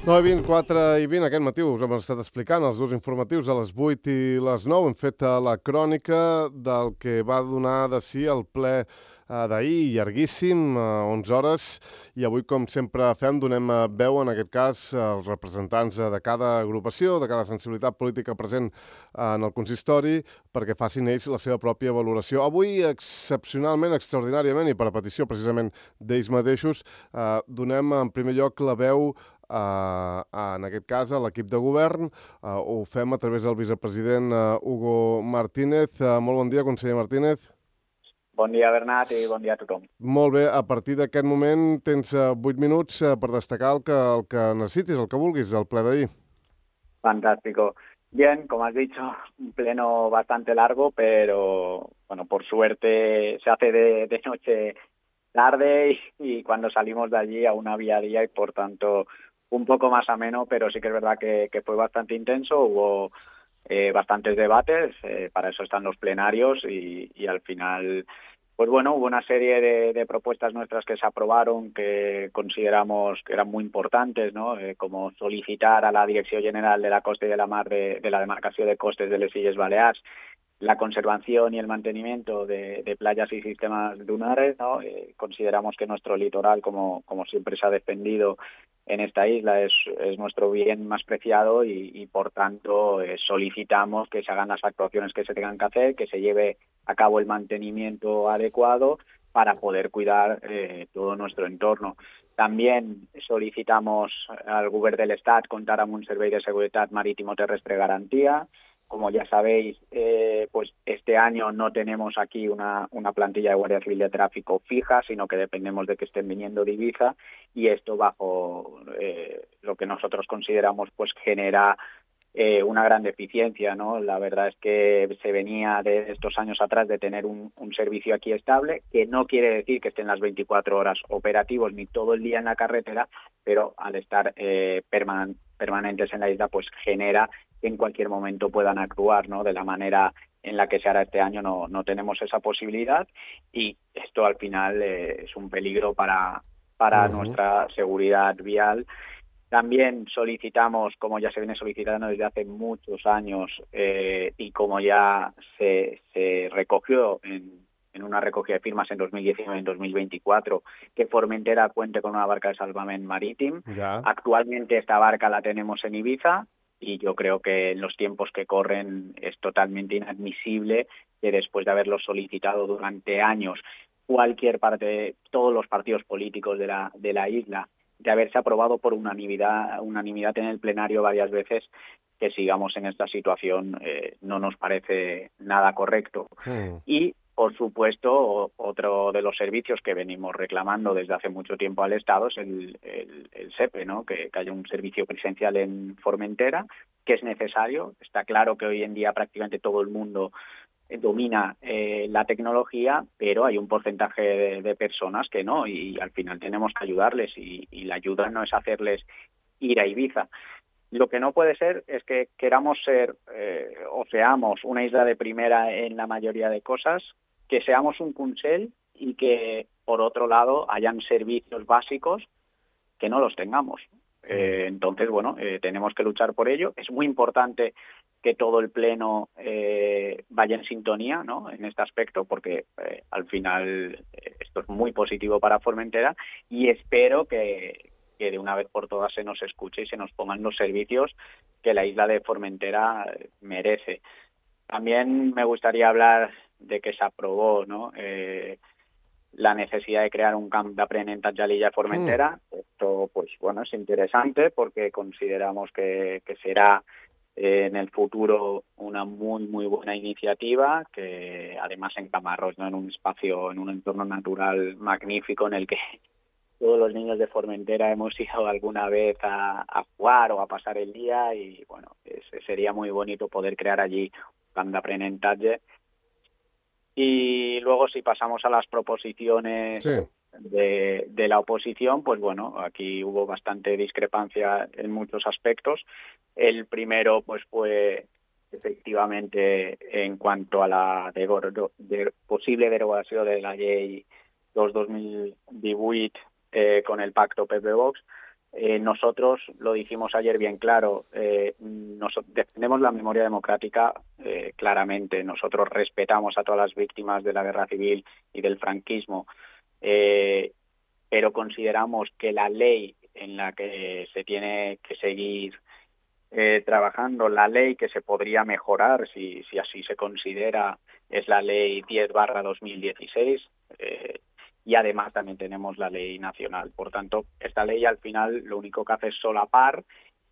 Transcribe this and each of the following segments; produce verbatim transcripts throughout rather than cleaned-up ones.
nou i vint, quatre i vint, aquest matí us hem estat explicant els dos informatius a les vuit i les nou. Hem fet la crònica del que va donar de si el ple d'ahir, llarguíssim, onze hores, i avui, com sempre fem, donem veu, en aquest cas, als representants de cada agrupació, de cada sensibilitat política present en el consistori, perquè facin ells la seva pròpia valoració. Avui, excepcionalment, extraordinàriament, i per a petició precisament d'ells mateixos, eh, donem en primer lloc la veu Uh, en aquest cas a l'equip de govern. Uh, ho fem a través del vicepresident uh, Hugo Martínez. Uh, molt bon dia, conseller Martínez. Bon dia, Bernat, i bon dia a tothom. Molt bé, a partir d'aquest moment tens uh, vuit minuts uh, per destacar el que, el que necessitis, el que vulguis, el ple d'ahir. Fantástico. Bien, como has dicho, un pleno bastante largo, pero bueno, por suerte se hace de, de noche tarde y, y cuando salimos de allí aún había día y por tanto un poco más ameno, pero sí que es verdad que, que fue bastante intenso. Hubo eh, bastantes debates, eh, para eso están los plenarios y, y al final, pues bueno, hubo una serie de, de propuestas nuestras que se aprobaron que consideramos que eran muy importantes, ¿no? Eh, como solicitar a la Dirección General de la Costa y de la Mar de, de la Demarcación de Costes de les Illes Balears la conservación y el mantenimiento de, de playas y sistemas dunares, ¿no? Eh, consideramos que nuestro litoral, como, como siempre se ha defendido en esta isla, es, es nuestro bien más preciado y, y por tanto, eh, solicitamos que se hagan las actuaciones que se tengan que hacer, que se lleve a cabo el mantenimiento adecuado para poder cuidar eh, todo nuestro entorno. También solicitamos al Govern de l'Estat contar amb un servei de seguretat marítimo-terrestre garantía. Como ya sabéis, eh, pues este año no tenemos aquí una, una plantilla de Guardia Civil de Tráfico fija, sino que dependemos de que estén viniendo de Ibiza, y esto bajo eh, lo que nosotros consideramos pues genera eh, una gran deficiencia, ¿no? La verdad es que se venía de estos años atrás de tener un, un servicio aquí estable, que no quiere decir que estén las veinticuatro horas operativos ni todo el día en la carretera, pero al estar eh, perman- permanentes en la isla, pues genera que en cualquier momento puedan actuar, ¿no? De la manera en la que se hará este año no, no tenemos esa posibilidad y esto al final eh, es un peligro para, para uh-huh. nuestra seguridad vial. También solicitamos, como ya se viene solicitando desde hace muchos años eh, y como ya se, se recogió en, en una recogida de firmas en dos mil diecinueve y en dos mil veinticuatro, que Formentera cuente con una barca de salvament marítim. Ya. Actualmente esta barca la tenemos en Ibiza, y yo creo que en los tiempos que corren es totalmente inadmisible que después de haberlo solicitado durante años cualquier parte, todos los partidos políticos de la, de la isla, de haberse aprobado por unanimidad, unanimidad en el plenario varias veces, que sigamos en esta situación eh, no nos parece nada correcto. Mm. Y por supuesto, otro de los servicios que venimos reclamando desde hace mucho tiempo al Estado es el, el, el SEPE, ¿no? Que, que haya un servicio presencial en Formentera, que es necesario. Está claro que hoy en día prácticamente todo el mundo domina eh, la tecnología, pero hay un porcentaje de, de personas que no, y, y al final tenemos que ayudarles, y, y la ayuda no es hacerles ir a Ibiza. Lo que no puede ser es que queramos ser eh, o seamos una isla de primera en la mayoría de cosas, que seamos un Consell y que, por otro lado, hayan servicios básicos que no los tengamos. Eh, entonces, bueno, eh, tenemos que luchar por ello. Es muy importante que todo el Pleno eh, vaya en sintonía, ¿no? En este aspecto, porque eh, al final eh, esto es muy positivo para Formentera, y espero que, que de una vez por todas se nos escuche y se nos pongan los servicios que la isla de Formentera merece. También me gustaría hablar de que se aprobó, ¿no? Eh, la necesidad de crear un camp d'aprenentatge a l'illa de Formentera. Mm. Esto, pues bueno, es interesante porque consideramos que, que será eh, en el futuro una muy, muy buena iniciativa, que además en Camarros, ¿no? En un espacio, en un entorno natural magnífico en el que todos los niños de Formentera hemos ido alguna vez a, a jugar o a pasar el día, y bueno, es, sería muy bonito poder crear allí un camp d'aprenentatge. Y luego, si pasamos a las proposiciones sí. de, de la oposición, pues bueno, aquí hubo bastante discrepancia en muchos aspectos. El primero pues fue efectivamente en cuanto a la de, de, posible derogación de la Llei dos dos mil divuit eh, con el pacto P P Vox. Eh, nosotros, lo dijimos ayer bien claro, eh, nos, defendemos la memoria democrática eh, claramente. Nosotros respetamos a todas las víctimas de la guerra civil y del franquismo, eh, pero consideramos que la ley en la que se tiene que seguir eh, trabajando, la ley que se podría mejorar, si, si así se considera, es la ley diez barra dos mil dieciséis, eh, y además también tenemos la ley nacional. Por tanto, esta ley al final lo único que hace es solapar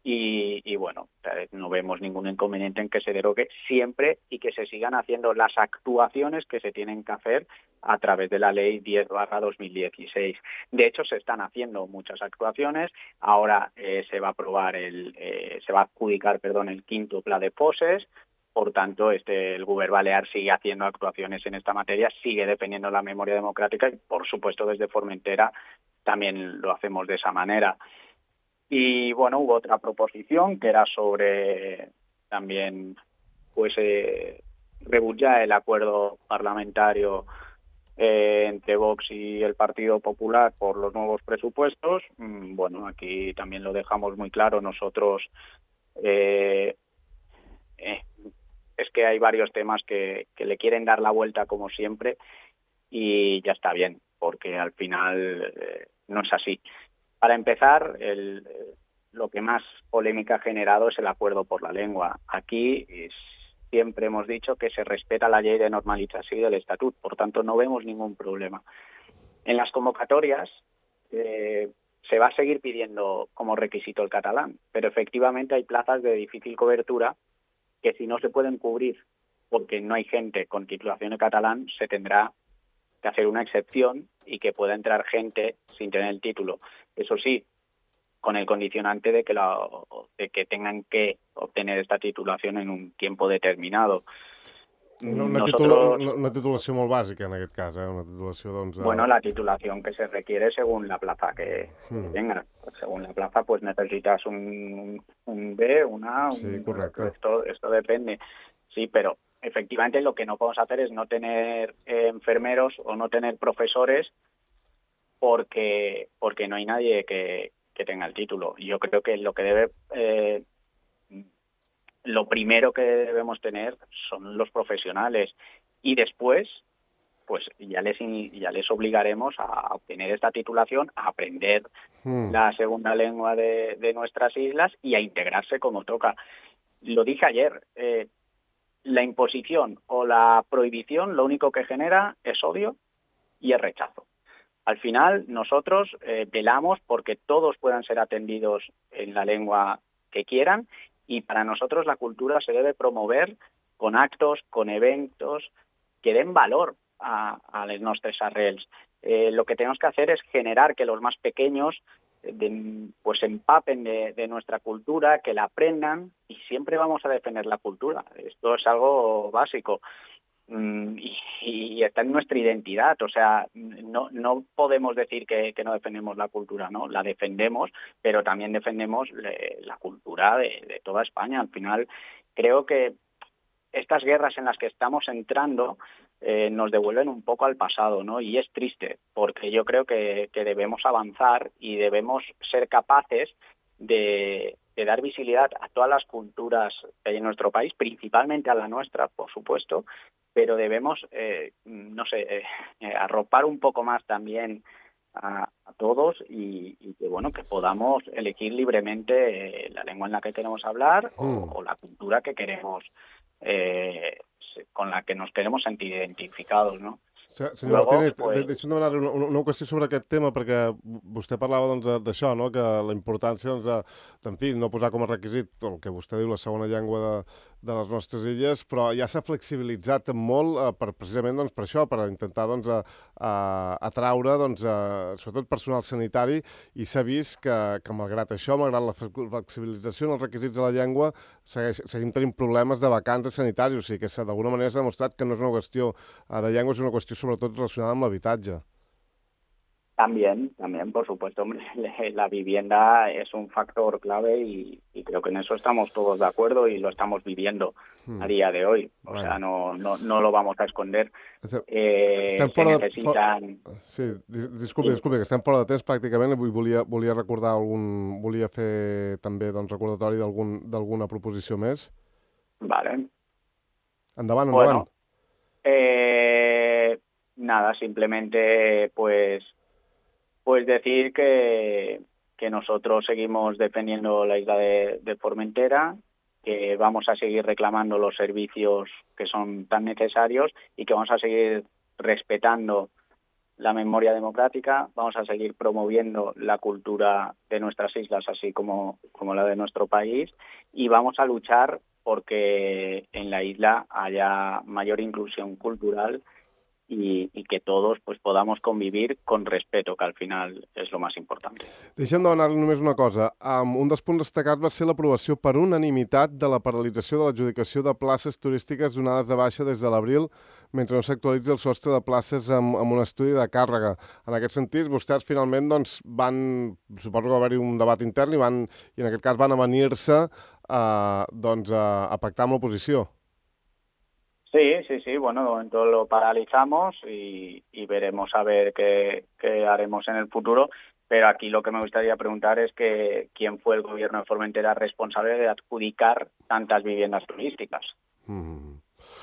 y, y bueno, no vemos ningún inconveniente en que se derogue siempre y que se sigan haciendo las actuaciones que se tienen que hacer a través de la ley diez barra dos mil dieciséis. De hecho, se están haciendo muchas actuaciones. Ahora eh, se va a aprobar el, eh, se va a adjudicar, perdón, el quinto Pla de Fosses. Por tanto, este, el Govern Balear sigue haciendo actuaciones en esta materia, sigue defendiendo la memoria democrática y, por supuesto, desde Formentera también lo hacemos de esa manera. Y, bueno, hubo otra proposición que era sobre también, pues, eh, rebutjar el acuerdo parlamentario eh, entre Vox y el Partido Popular por los nuevos presupuestos. Mm, bueno, aquí también lo dejamos muy claro. Nosotros... Eh, eh, es que hay varios temas que, que le quieren dar la vuelta como siempre y ya está bien, porque al final eh, no es así. Para empezar, el, lo que más polémica ha generado es el acuerdo por la lengua. Aquí es, siempre hemos dicho que se respeta la ley de normalització del Estatut, por tanto no vemos ningún problema. En las convocatorias eh, se va a seguir pidiendo como requisito el catalán, pero efectivamente hay plazas de difícil cobertura que si no se pueden cubrir porque no hay gente con titulación de catalán, se tendrá que hacer una excepción y que pueda entrar gente sin tener el título. Eso sí, con el condicionante de que, la, de que tengan que obtener esta titulación en un tiempo determinado. Una, una, Nosotros, titula, una titulació molt bàsica, en aquest cas, eh? Una titulació, doncs... A... Bueno, la titulación que se requiere según la plaza que, hmm. que tengas. Según la plaza, pues necesitas un, un B, una... Un, sí, correcto. Esto, esto depende. Sí, pero efectivamente lo que no podemos hacer es no tener eh, enfermeros o no tener profesores porque, porque no hay nadie que, que tenga el título. Yo creo que lo que debe... Eh, lo primero que debemos tener son los profesionales y después pues ya les ya les obligaremos a obtener esta titulación, a aprender hmm. la segunda lengua de, de nuestras islas y a integrarse como toca. Lo dije ayer, eh, la imposición o la prohibición lo único que genera es odio y es rechazo. Al final nosotros eh, velamos porque todos puedan ser atendidos en la lengua que quieran. Y para nosotros la cultura se debe promover con actos, con eventos que den valor a, a les nostres arrels. Eh, lo que tenemos que hacer es generar que los más pequeños de, pues empapen de, de nuestra cultura, que la aprendan y siempre vamos a defender la cultura. Esto es algo básico. Y, y está en nuestra identidad, o sea, no, no podemos decir que, que no defendemos la cultura, no, la defendemos, pero también defendemos le, la cultura de, de toda España. Al final, creo que estas guerras en las que estamos entrando eh, nos devuelven un poco al pasado, ¿no? Y es triste, porque yo creo que, que debemos avanzar y debemos ser capaces de, de dar visibilidad a todas las culturas que hay en nuestro país, principalmente a la nuestra, por supuesto, pero debemos, eh, no sé, eh, eh, arropar un poco más también a, a todos y, y que, bueno, que podamos elegir libremente eh, la lengua en la que queremos hablar o, mm. o la cultura que queremos, eh, con la que nos queremos sentir identificados, ¿no? Senyor Luego, Martínez, pues... deixa'm demanar una, una qüestió sobre aquest tema, perquè vostè parlava doncs, d'això, no? Que la importància, doncs, de, en fi, no posar com a requisit el que vostè diu, la segona llengua de, de les nostres illes, però ja s'ha flexibilitzat molt eh, per, precisament doncs, per això, per intentar doncs, a, a, atraure doncs, a, sobretot personal sanitari, i s'ha vist que, que malgrat això, malgrat la flexibilització en els requisits de la llengua, segueix, seguim tenint problemes de vacants sanitaris, o sigui que d'alguna manera s'ha demostrat que no és una qüestió de llengua, és una qüestió sobretot relacionada amb l'habitatge. También, también, por supuesto, hombre, la vivienda es un factor clave y, y creo que en eso estamos todos de acuerdo y lo estamos viviendo hmm. a día de hoy. O bueno. sea, no, no, no lo vamos a esconder. Eh, estem fora se necessitan... De... Sí, disculpi, sí. disculpi, que estem fora de temps pràcticament. Volia, volia recordar algun... Volia fer també doncs, recordatori d'alguna proposició més. Vale. Endavant, endavant. Bueno, eh, nada, simplemente pues... Pues decir que, que nosotros seguimos defendiendo la isla de, de Formentera, que vamos a seguir reclamando los servicios que son tan necesarios y que vamos a seguir respetando la memoria democrática, vamos a seguir promoviendo la cultura de nuestras islas, así como, como la de nuestro país, y vamos a luchar porque en la isla haya mayor inclusión cultural Y, y que todos pues, podamos convivir con respeto, que al final és lo més important. Deixem de demanar-li només una cosa. Um, un dels punts destacats va ser l'aprovació per unanimitat de la paralització de l'adjudicació de places turístiques donades de baixa des de l'abril mentre no s'actualitzi el sostre de places amb, amb un estudi de càrrega. En aquest sentit, vostès finalment doncs, van, suposo que va haver-hi un debat intern i, van, i en aquest cas van avenir-se uh, doncs, a, a pactar amb l'oposició. Sí, sí, sí, bueno, de momento lo paralizamos y, y veremos a ver qué, qué haremos en el futuro, pero aquí lo que me gustaría preguntar es que quién fue el gobierno de Formentera responsable de adjudicar tantas viviendas turísticas. Mm.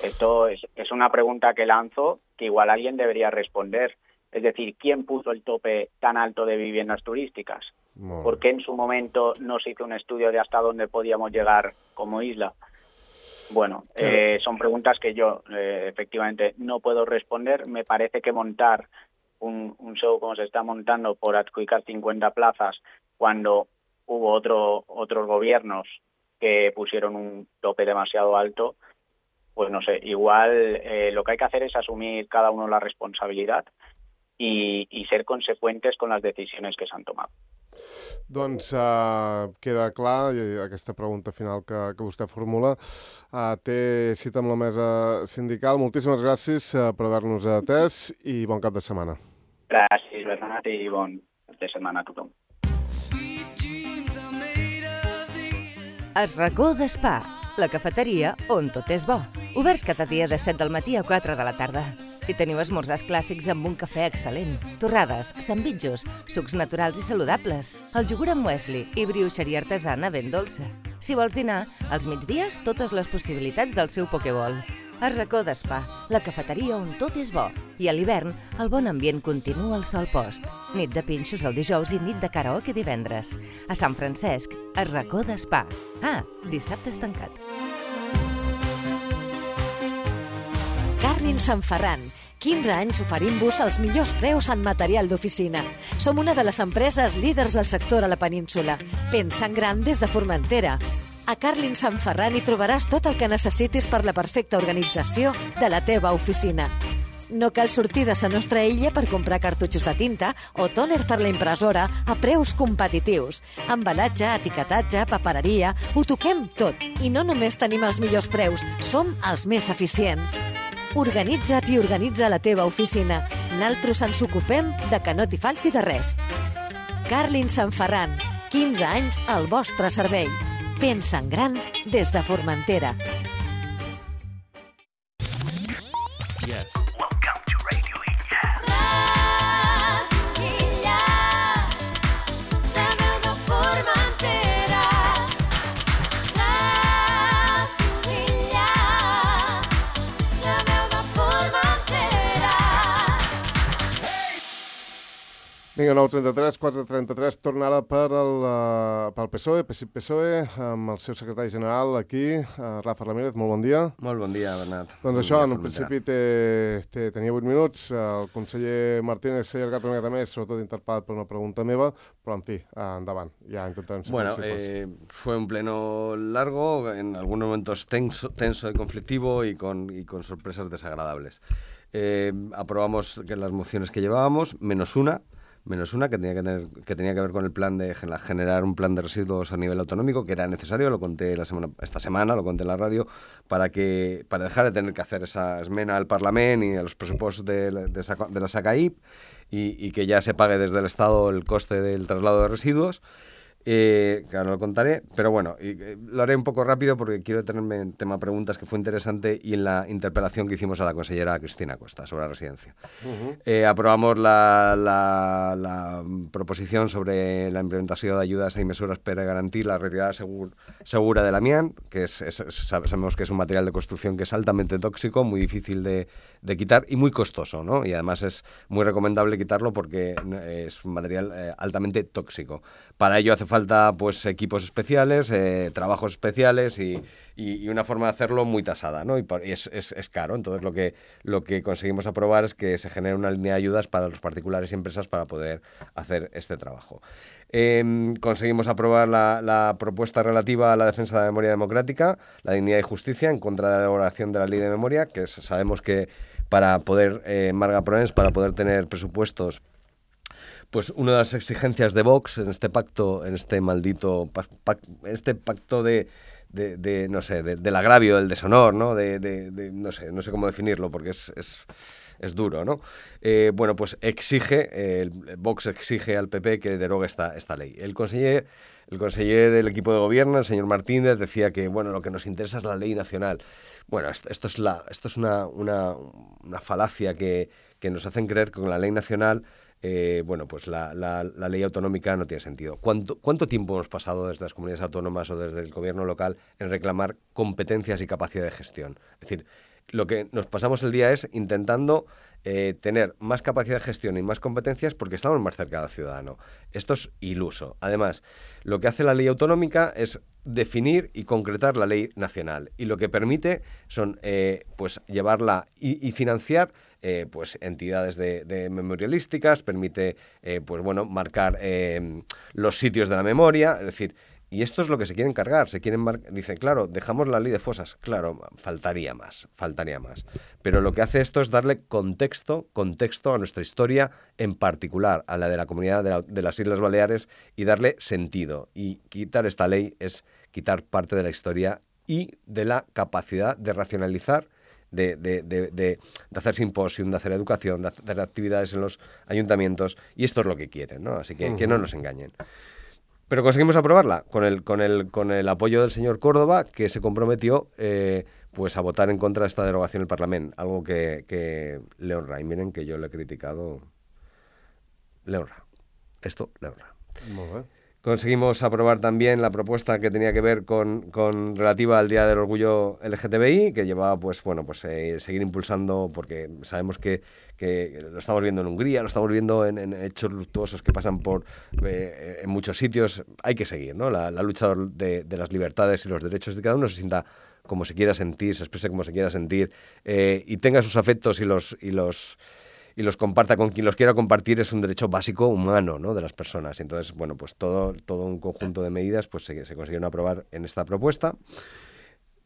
Esto es, es una pregunta que lanzo que igual alguien debería responder. Es decir, ¿quién puso el tope tan alto de viviendas turísticas? No. ¿Por qué en su momento no se hizo un estudio de hasta dónde podíamos llegar como isla? Bueno, eh, son preguntas que yo eh, efectivamente no puedo responder. Me parece que montar un, un show como se está montando por adjudicar cincuenta plazas cuando hubo otro, otros gobiernos que pusieron un tope demasiado alto, pues no sé, igual eh, lo que hay que hacer es asumir cada uno la responsabilidad y, y ser consecuentes con las decisiones que se han tomado. Doncs uh, queda clar, aquesta pregunta final que, que vostè formula. Uh, té cita amb la mesa sindical. Moltíssimes gràcies uh, per haver-nos atès i bon cap de setmana. Gràcies, Bernat, i bon cap de setmana a tothom. Es racó d'Espa, la cafeteria on tot és bo. Oberts cada dia de set del matí a quatre de la tarda. I teniu esmorzars clàssics amb un cafè excel·lent, torrades, sandvitjos, sucs naturals i saludables, el iogurt amb muesli i brioixeria artesana ben dolça. Si vols dinar, als migdies totes les possibilitats del seu pokeball. El racó d'Espa, la cafeteria on tot és bo. I a l'hivern, el bon ambient continua al sol post. Nit de pinxos el dijous i nit de karaoke divendres. A Sant Francesc, el racó d'Espa. Ah, dissabte és tancat. Carlin Sant Ferran. quinze anys oferint-vos els millors preus en material d'oficina. Som una de les empreses líders del sector a la península. Pensa en gran des de Formentera. A Carlin Sant Ferran hi trobaràs tot el que necessitis per la perfecta organització de la teva oficina. No cal sortir de la nostra illa per comprar cartutxos de tinta o tòner per la impressora a preus competitius. Embalatge, etiquetatge, papereria, ho toquem tot. I no només tenim els millors preus, som els més eficients. Organitza't i organitza la teva oficina. Naltros ens ocupem de que no t'hi falti de res. Carlin Sant Ferran, quinze anys al vostre servei. Pensa en gran des de Formentera. Yes. Welcome to Radio Illa. Illa, sabeu de Formentera. Illa, sabeu de Formentera. Vinga, nou trenta-tres, quatre trenta-tres, torna ara per el, uh, pel P S O E, P S I P-P S O E, amb el seu secretari general aquí, uh, Rafa Ramírez, molt bon dia. Molt bon dia, Bernat. Doncs bon això, en un principi té, té, tenia vuit minuts, el conseller Martínez s'ha allargat una miqueta més, sobretot interpel·lat per una pregunta meva, però en fi, uh, endavant, ja intentarem ser Bueno, eh, fue un pleno largo, en algunos momentos tenso, tenso y conflictivo y con, y con sorpresas desagradables. Eh, aprobamos que las mociones que llevábamos, menos una, menos una, que tenía que, tener, que tenía que ver con el plan de generar un plan de residuos a nivel autonómico, que era necesario, lo conté la semana, esta semana, lo conté en la radio, para que para dejar de tener que hacer esa esmena al Parlament y a los presupuestos de, de, de la SACAIP y, y que ya se pague desde el Estado el coste del traslado de residuos. Eh, que ahora lo contaré, pero bueno, y, eh, lo haré un poco rápido porque quiero detenerme en tema preguntas, que fue interesante, y en la interpelación que hicimos a la consellera Cristina Costa sobre la residencia. Uh-huh. eh, aprobamos la, la, la proposición sobre la implementació d'ayudes i mesures per a garantir la retirada segur, segura del amiant, que es, es, sabemos que es un material de construcción que es altamente tóxico, muy difícil de, de quitar y muy costoso, ¿no? Y además es muy recomendable quitarlo porque es un material eh, altamente tóxico. Para ello hace falta pues equipos especiales, eh, trabajos especiales y, y, y una forma de hacerlo muy tasada, ¿no? Y, por, y es, es, es caro. Entonces lo que, lo que conseguimos aprobar es que se genere una línea de ayudas para los particulares y empresas para poder hacer este trabajo. Eh, conseguimos aprobar la, la propuesta relativa a la defensa de la memoria democrática, la dignidad y justicia en contra de la elaboración de la ley de memoria, que es, sabemos que para poder, eh, Marga Proens, para poder tener presupuestos, pues una de las exigencias de Vox en este pacto, en este maldito pac, este pacto de, de, de no sé, de, del agravio, del deshonor, ¿no? De, de, de, no sé, no sé cómo definirlo porque es, es, es duro, ¿no? Eh, bueno, pues exige, eh, el Vox exige al P P que derogue esta, esta ley. El conseller, el conseller del equipo de gobierno, el señor Martínez, decía que, bueno, lo que nos interesa es la ley nacional. Bueno, esto, esto es, la, esto es una, una, una falacia que, que nos hacen creer que con la ley nacional Eh, bueno, pues la, la, la ley autonómica no tiene sentido. ¿Cuánto, ¿Cuánto tiempo hemos pasado desde las comunidades autónomas o desde el gobierno local en reclamar competencias y capacidad de gestión? Es decir, lo que nos pasamos el día es intentando eh, tener más capacidad de gestión y más competencias porque estamos más cerca del ciudadano. Esto es iluso. Además, lo que hace la ley autonómica es definir y concretar la ley nacional y lo que permite son eh, pues llevarla y, y financiar Eh, pues entidades de, de memorialísticas, permite eh, pues bueno marcar eh, los sitios de la memoria, es decir, y esto es lo que se quieren cargar, se quieren mar- dicen, claro, dejamos la ley de fosas, claro, faltaría más, faltaría más, pero lo que hace esto es darle contexto, contexto a nuestra historia, en particular a la de la comunidad de, la, de las Islas Baleares, y darle sentido, y quitar esta ley es quitar parte de la historia y de la capacidad de racionalizar, De, de, de, de, de hacer simposium, de hacer educación, de hacer actividades en los ayuntamientos, y esto es lo que quieren, ¿no? Así que uh-huh. que no nos engañen. Pero conseguimos aprobarla con el, con el, con el apoyo del señor Córdoba, que se comprometió eh, pues a votar en contra de esta derogación del Parlamento, algo que, que le honra. Y miren que yo le he criticado, le honra. Esto le honra. Muy bien. Conseguimos aprobar también la propuesta que tenía que ver con, con relativa al Día del Orgullo L G T B I, que llevaba pues bueno pues eh, seguir impulsando, porque sabemos que, que lo estamos viendo en Hungría, lo estamos viendo en, en hechos luctuosos que pasan por eh, en muchos sitios. Hay que seguir, ¿no? La, la lucha de, de las libertades y los derechos de cada uno se sienta como se quiera sentir, se exprese como se quiera sentir eh, y tenga sus afectos y los y los y los comparta con quien los quiera compartir, es un derecho básico humano, ¿no? De las personas. Entonces, bueno, pues todo, todo un conjunto de medidas pues se, se consiguieron aprobar en esta propuesta.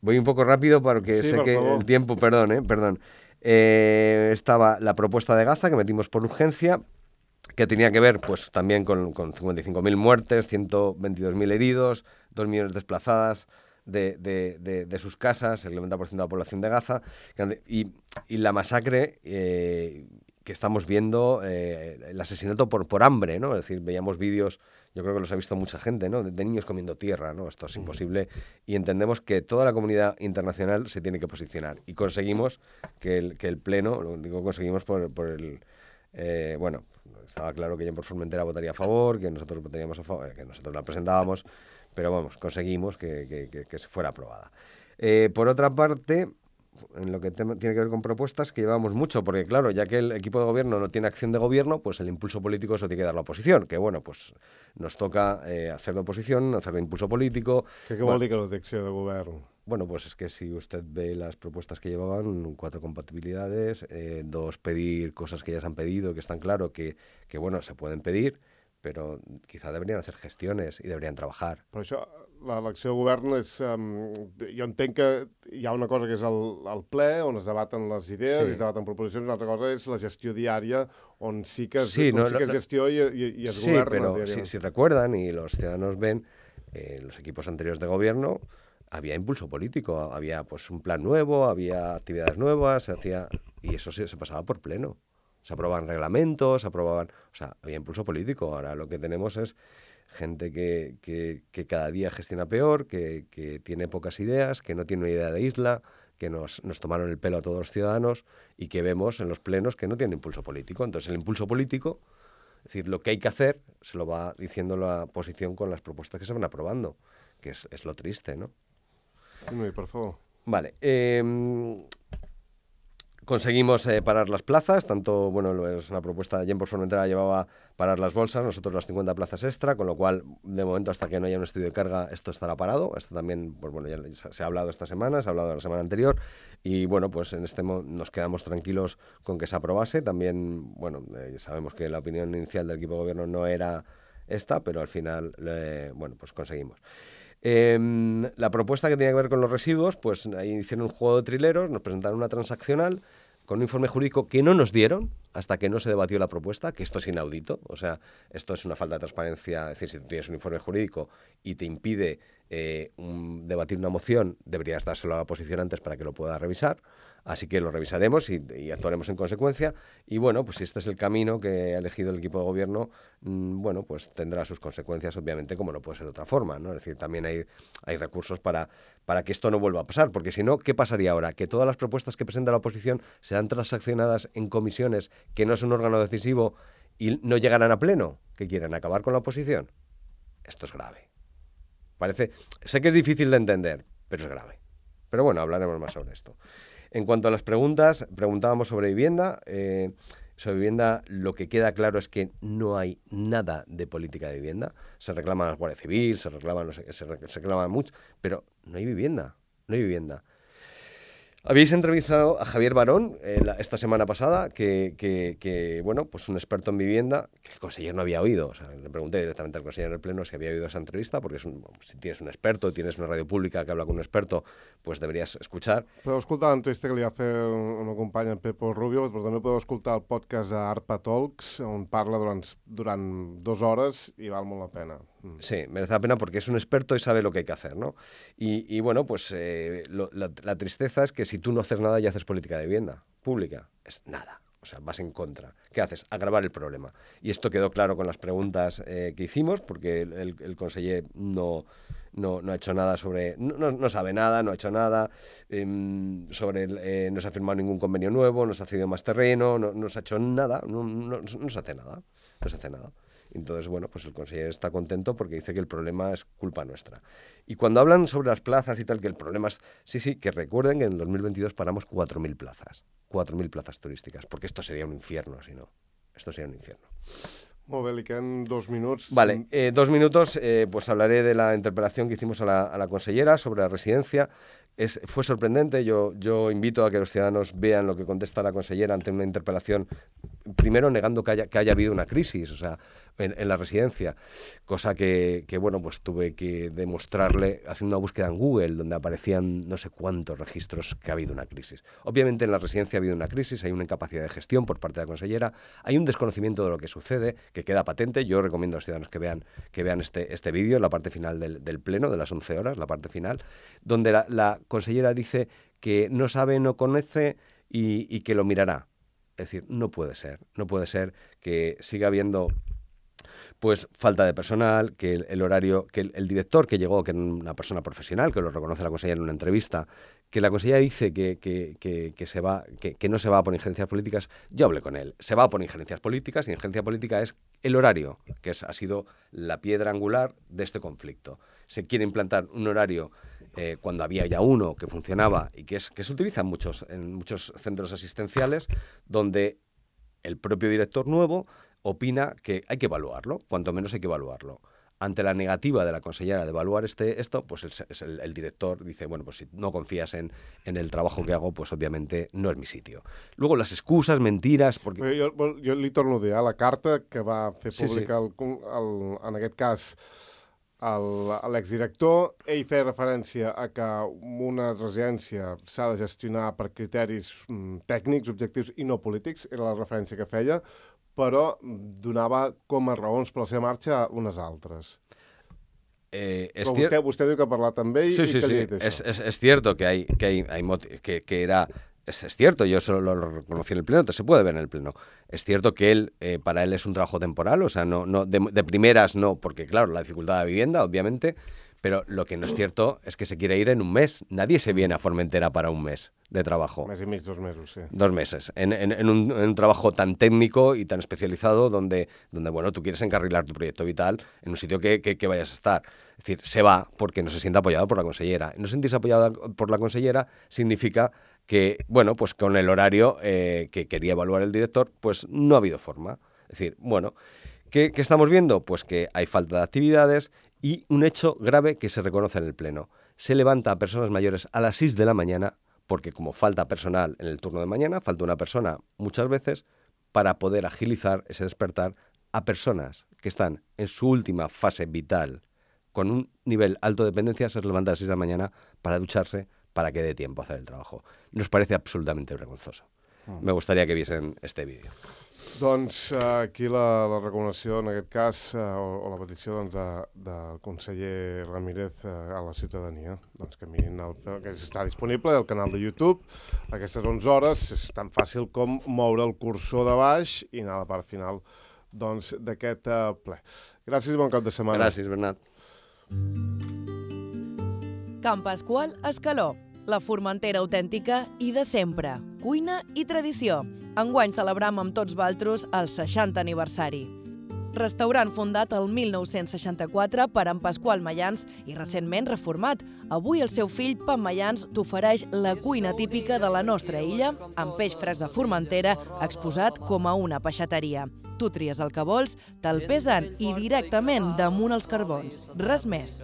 Voy un poco rápido porque sí, sé por que favor. el tiempo, perdón, ¿eh? Perdón. Eh, estaba la propuesta de Gaza, que metimos por urgencia, que tenía que ver pues también con, con cincuenta y cinco mil muertes, ciento veintidós mil heridos, dos millones desplazadas de, de, de, de sus casas, el noventa por ciento de la población de Gaza, y, y la masacre eh, que estamos viendo, eh, el asesinato por, por hambre, ¿no? Es decir, veíamos vídeos, yo creo que los ha visto mucha gente, ¿no? De, de niños comiendo tierra, ¿no? Esto es imposible, y entendemos que toda la comunidad internacional se tiene que posicionar, y conseguimos que el, que el Pleno, lo digo conseguimos por, por el... Eh, bueno, estaba claro que Gent per Formentera votaría a favor, que nosotros votaríamos a favor, que nosotros la presentábamos, pero vamos, conseguimos que, que, que, que se fuera aprobada. Eh, por otra parte, en lo que te, tiene que ver con propuestas, que llevamos mucho, porque claro, ya que el equipo de gobierno no tiene acción de gobierno, pues el impulso político eso tiene que dar la oposición, que bueno, pues nos toca eh, hacer de oposición, hacer de impulso político. ¿Qué, qué bueno, vol dir que no té acció de govern? Bueno, pues es que si usted ve las propuestas que llevaban, cuatro compatibilidades, eh, dos pedir cosas que ya se han pedido, que están claro que, que bueno, se pueden pedir, pero quizá deberían hacer gestiones i deberían trabajar. Però això, l'elecció de govern és... Um, jo entenc que hi ha una cosa que és el, el ple, on es debaten les idees, Sí. i es debaten proposicions, una altra cosa és la gestió diària, on sí que es, Sí, on no, sí que no, es gestió i, i, i es Sí, governa pero si, diàriament. si recuerdan y los ciudadanos ven, eh, los equipos anteriores de gobierno había impulso político, había pues un plan nuevo, había actividades nuevas, se hacía y eso se, se pasaba por pleno. Se aprobaban reglamentos, se aprobaban, o sea, había impulso político. Ahora lo que tenemos es gente que, que, que cada día gestiona peor, que, que tiene pocas ideas, que no tiene una idea de isla, que nos, nos tomaron el pelo a todos los ciudadanos y que vemos en los plenos que no tienen impulso político. Entonces el impulso político, es decir, lo que hay que hacer, se lo va diciendo la oposición con las propuestas que se van aprobando, que es, es lo triste, ¿no? Dime, por favor. Vale. Eh, conseguimos eh, parar las plazas, tanto, bueno, lo es una propuesta de Gent por Formentera llevaba parar las bolsas, nosotros las cincuenta plazas extra, con lo cual, de momento, hasta que no haya un estudio de carga, esto estará parado. Esto también, pues bueno, ya se ha hablado esta semana, se ha hablado la semana anterior, y bueno, pues en este mo nos quedamos tranquilos con que se aprobase. También, bueno, eh, sabemos que la opinión inicial del equipo de gobierno no era esta, pero al final, eh, bueno, pues conseguimos. Eh, la propuesta que tenía que ver con los residuos, pues ahí hicieron un juego de trileros, nos presentaron una transaccional con un informe jurídico que no nos dieron hasta que no se debatió la propuesta, que esto es inaudito, o sea, esto es una falta de transparencia. Es decir, si tú tienes un informe jurídico y te impide eh, un, debatir una moción, deberías dárselo a la oposición antes para que lo pueda revisar. Así que lo revisaremos y, y actuaremos en consecuencia. Y bueno, pues si este es el camino que ha elegido el equipo de gobierno, mmm, bueno, pues tendrá sus consecuencias, obviamente, como no puede ser de otra forma, ¿no? Es decir, también hay, hay recursos para, para que esto no vuelva a pasar, porque si no, ¿qué pasaría ahora? Que todas las propuestas que presenta la oposición serán transaccionadas en comisiones, que no es un órgano decisivo, y no llegarán a pleno, que quieren acabar con la oposición. Esto es grave. Parece, sé que es difícil de entender, pero es grave. Pero bueno, hablaremos más sobre esto. En cuanto a las preguntas, preguntábamos sobre vivienda. Eh, sobre vivienda, lo que queda claro es que no hay nada de política de vivienda. Se reclama la Guardia Civil, se reclama, no sé, se, re, se reclama mucho, pero no hay vivienda, no hay vivienda. Habéis entrevistado a Javier Barón eh, la, esta semana pasada, que, que, que, bueno, pues un experto en vivienda, que el consejero no había oído. O sea, le pregunté directamente al consejero en el pleno si había oído esa entrevista, porque es un, si tienes un experto, tienes una radio pública que habla con un experto, pues deberías escuchar. Podeu escoltar l'entrevista que li va fer una companya, en Pepo Rubio, però també podeu escoltar el podcast d'Arpa Talks, on parla durant, durant dues hores i val molt la pena. Mm. Sí, merece la pena porque es un experto y sabe lo que hay que hacer, ¿no? Y, y bueno, pues eh, lo, la, la tristeza es que si tú no haces nada y haces política de vivienda pública, es nada. O sea, vas en contra. ¿Qué haces? Agravar el problema. Y esto quedó claro con las preguntas eh, que hicimos, porque el, el, el conseller no, no, no ha hecho nada sobre... No, no sabe nada, no ha hecho nada eh, sobre... El, eh, no se ha firmado ningún convenio nuevo, no se ha cedido más terreno, no, no se ha hecho nada, no, no, no se hace nada, no se hace nada. Entonces, bueno, pues el consejero está contento porque dice que el problema es culpa nuestra. Y cuando hablan sobre las plazas y tal, que el problema es... Sí, sí, que recuerden que en el dos mil veintidós paramos cuatro mil plazas. cuatro mil plazas turísticas, porque esto sería un infierno, si no. Esto sería un infierno. Molt bé, li queden dos minuts. Vale, eh, dos minutos, eh, pues hablaré de la interpelación que hicimos a la, a la consellera sobre la residencia. Es, fue sorprendente, yo, yo invito a que los ciudadanos vean lo que contesta la consellera ante una interpelación, primero negando que haya, que haya habido una crisis, o sea, en, en la residencia, cosa que, que, bueno, pues tuve que demostrarle haciendo una búsqueda en Google, donde aparecían no sé cuántos registros que ha habido una crisis. Obviamente en la residencia ha habido una crisis, hay una incapacidad de gestión por parte de la consellera, hay un desconocimiento de lo que sucede, que queda patente. Yo recomiendo a los ciudadanos que vean, que vean este, este vídeo, la parte final del, del pleno, de las once horas, la parte final, donde la, la consellera dice que no sabe, no conoce y, y que lo mirará. Es decir, no puede ser, no puede ser que siga habiendo pues falta de personal, que el, el horario, que el, el director que llegó, que era una persona profesional, que lo reconoce la consellera en una entrevista, que la consellera dice que, que, que, que, se va, que, que no se va por injerencias políticas. Yo hablé con él, se va por injerencias políticas, y injerencia política es el horario, que es, ha sido la piedra angular de este conflicto. Se quiere implantar un horario eh, cuando había ya uno que funcionaba y que, es, que se utiliza en muchos, en muchos centros asistenciales, donde el propio director nuevo opina que hay que evaluarlo, cuanto menos hay que evaluarlo. ante la negativa de la consellera de evaluar este, esto, pues el, el, el director dice, bueno, pues si no confías en, en el trabajo que hago, pues obviamente no es mi sitio. Luego las excusas, mentiras... Perquè... Jo, jo li torno a dir, eh, la carta que va fer pública, sí, sí. El, el, en aquest cas, l'exdirector, ell feia referència a que una residència s'ha de gestionar per criteris mm, tècnics, objectius i no polítics, era la referència que feia, però donava com a raons per la seva marxa unes altres. Eh, es Però vostè, vostè diu que ha parlat amb ell sí, i sí, que sí. li ha dit Es, això. es, es cierto que hay, que hay, hay moti- que, que era... Es, es cierto, yo solo lo reconocí en el pleno, se puede ver en el pleno. Es cierto que él, eh, para él es un trabajo temporal, o sea, no, no de, de primeras no, porque claro, la dificultad de la vivienda, obviamente, pero lo que no es cierto es que se quiere ir en un mes. Nadie se viene a Formentera para un mes de trabajo. Mes i mig, dos mesos, sí. Dos meses, en, en, en, un, en un trabajo tan técnico y tan especializado donde, donde, bueno, tú quieres encarrilar tu proyecto vital en un sitio que, que, que vayas a estar. Es decir, se va porque no se siente apoyado por la consellera. No sentirse apoyado por la consellera significa que, bueno, pues con el horario eh, que quería evaluar el director, pues no ha habido forma. Es decir, bueno, ¿qué, qué estamos viendo? Pues que hay falta de actividades y un hecho grave que se reconoce en el Pleno. Se levanta a personas mayores a las seis de la mañana porque como falta personal en el turno de mañana, falta una persona muchas veces para poder agilizar ese despertar a personas que están en su última fase vital con un nivel alto de dependencia, se levanta a las seis de la mañana para ducharse, para que dé tiempo a hacer el trabajo. Nos parece absolutamente vergonzoso. Me gustaría que viesen este vídeo. Doncs uh, aquí la, la recomanació, en aquest cas, uh, o, o la petició doncs, de, del conseller Ramírez uh, a la ciutadania, doncs que mirin el, que està disponible al canal de YouTube a aquestes onze hores. És tan fàcil com moure el cursor de baix i anar a la part final doncs, d'aquest uh, ple. Gràcies i bon cap de setmana. Gràcies, Bernat. Can Pasqual Escaló, la Formentera autèntica i de sempre, cuina i tradició. Enguany celebram amb tots valtros el seixantè aniversari. Restaurant fundat el mil nou-cents seixanta-quatre per en Pasqual Mayans i recentment reformat. Avui el seu fill, Pep Mayans, t'ofereix la cuina típica de la nostra illa, amb peix fresc de Formentera exposat com a una peixateria. Tu tries el que vols, te'l pesen i directament damunt els carbons. Res més.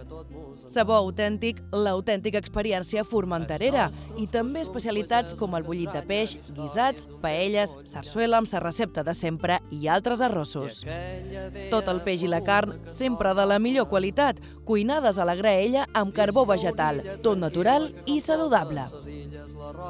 Sabor autèntic, l'autèntica experiència formenterera i també especialitats com el bullit de peix, guisats, paelles, sarsuela amb sa recepta de sempre i altres arrossos. Tot el peix i la carn sempre de la millor qualitat, cuinades a la graella amb carbó vegetal, tot natural i saludable.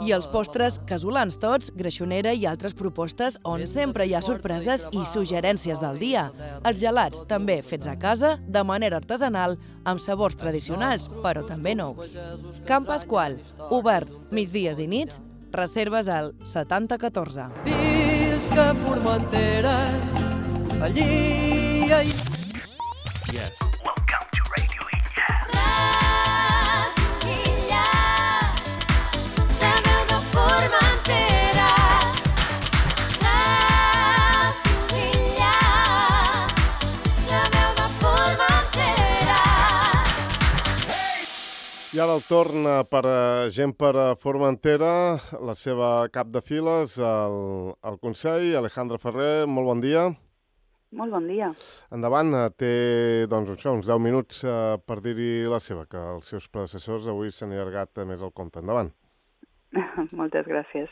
I els postres, casolans tots, greixonera i altres propostes on sempre hi ha sorpreses i suggerències del dia. Els gelats també fets a casa, de manera artesanal, amb sabors tradicionals, però també nous. Can Pasqual, oberts migdies i nits, reserves al setanta catorze. Visca Formentera, allí hi Yes. Radio Illa, la veu de Formentera. Radio Illa, la veu de Formentera. I ara el torn eh, per a gent per a Formentera, la seva cap de files, el, el Consell, Alejandra Ferrer, molt bon dia. Molt bon dia. Endavant, eh, té doncs, això, uns deu minuts eh, per dir-hi la seva, que els seus predecessors avui s'han allargat més el compte. Endavant. Moltes gràcies.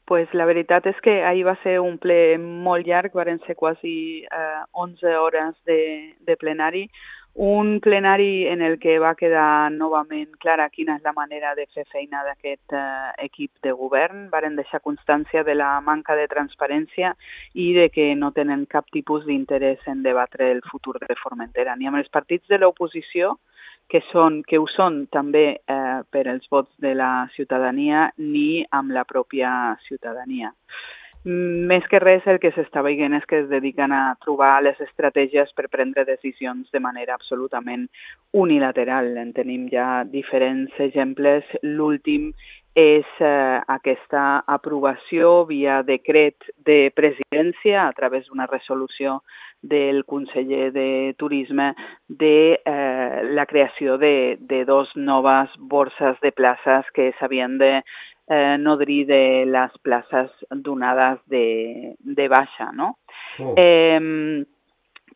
Pues la veritat és que ahir va ser un ple molt llarg, varen ser quasi eh, onze hores de, de plenari, un plenari en el que va quedar novament clara quina és la manera de fer feina d'aquest eh, equip de govern. Varen deixar constància de la manca de transparència i de que no tenen cap tipus d'interès en debatre el futur de Formentera, ni amb els partits de l'oposició, que, són, que ho són també eh, per els vots de la ciutadania, ni amb la pròpia ciutadania. Més que res, el que s'està veient és que es dediquen a trobar les estratègies per prendre decisions de manera absolutament unilateral. En tenim ja diferents exemples. L'últim és eh, aquesta aprovació via decret de presidència a través d'una resolució del conseller de Turisme de eh, la creació de, de dos noves borses de places que s'havien de Eh, nodrir de les places donades de, de baixa, no? Oh. Eh,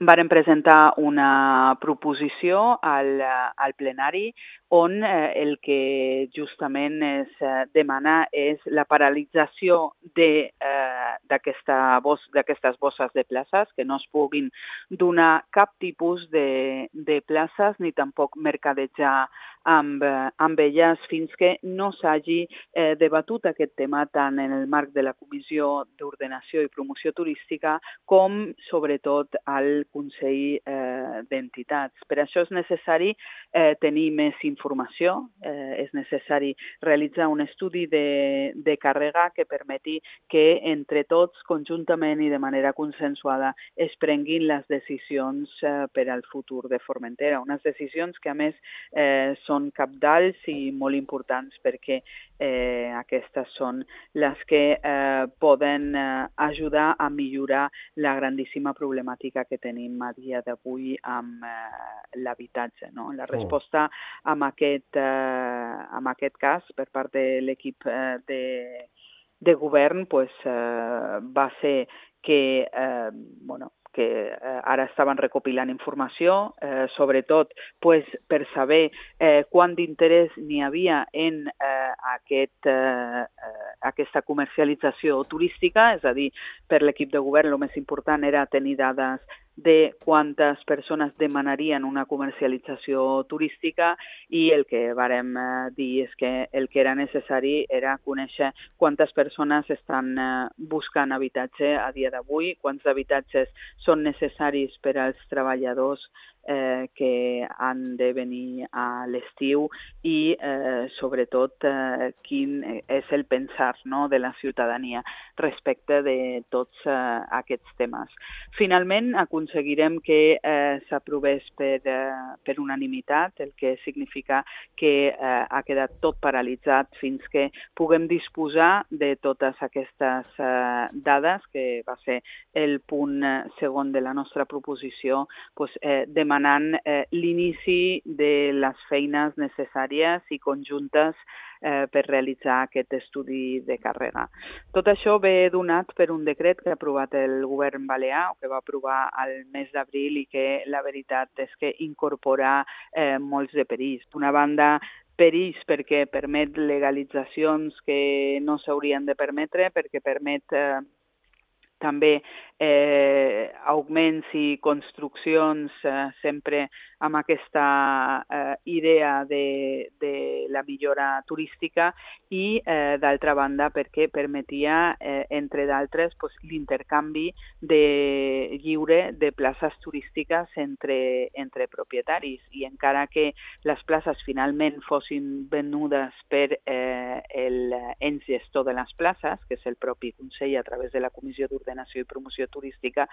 varen presentar una proposició al, al plenari on eh, el que justament es eh, demana és la paralització de, eh, d'aquesta bos, d'aquestes bosses de places, que no es puguin donar cap tipus de, de places ni tampoc mercadejar amb, amb elles fins que no s'hagi eh, debatut aquest tema tant en el marc de la Comissió d'Ordenació i Promoció Turística com, sobretot, al Consell eh, d'Entitats. Per això és necessari eh, tenir més informació, eh, és necessari realitzar un estudi de, de càrrega que permeti que entre tots, conjuntament i de manera consensuada, es prenguin les decisions eh, per al futur de Formentera. Unes decisions que, a més, eh, són cabdals i molt importants perquè eh, aquestes són les que eh, poden eh, ajudar a millorar la grandíssima problemàtica que tenim a dia d'avui amb eh, l'habitatge. No? La resposta amb aquest, eh, amb aquest cas per part de l'equip eh, de, de govern pues, eh, va ser que eh, bueno, que eh, ara estaven recopilant informació, eh, sobretot pues, per saber eh, quant d'interès n'hi havia en eh, aquest, eh, aquesta comercialització turística, és a dir, per l'equip de govern el més important era tenir dades de quantes persones demanarien una comercialització turística i el que vàrem eh, dir és que el que era necessari era conèixer quantes persones estan eh, buscant habitatge a dia d'avui, quants habitatges són necessaris per als treballadors eh, que han de venir a l'estiu i, eh, sobretot, eh, quin és el pensar no, de la ciutadania respecte de tots eh, aquests temes. Finalment, aconseguirem que eh, s'aprovés per, eh, per unanimitat, el que significa que eh, ha quedat tot paralitzat fins que puguem disposar de totes aquestes eh, dades, que va ser el punt eh, segon de la nostra proposició, pues, eh, demanant eh, l'inici de les feines necessàries i conjuntes eh, per realitzar aquest estudi de càrrega. Tot això ve donat per un decret que ha aprovat el govern balear, o que va aprovar al mes d'abril i que la veritat és que incorpora eh, molts de perills. D'una banda, perills perquè permet legalitzacions que no s'haurien de permetre, perquè permet eh, també eh, augments i construccions eh, sempre amb aquesta eh, idea de, de la millora turística i, eh, d'altra banda, perquè permetia, eh, entre d'altres, pues, l'intercanvi de lliure de places turístiques entre, entre propietaris. I encara que les places finalment fossin venudes per eh, el ens gestor de les places, que és el propi Consell a través de la Comissió d'Ordenació i Promoció Turística,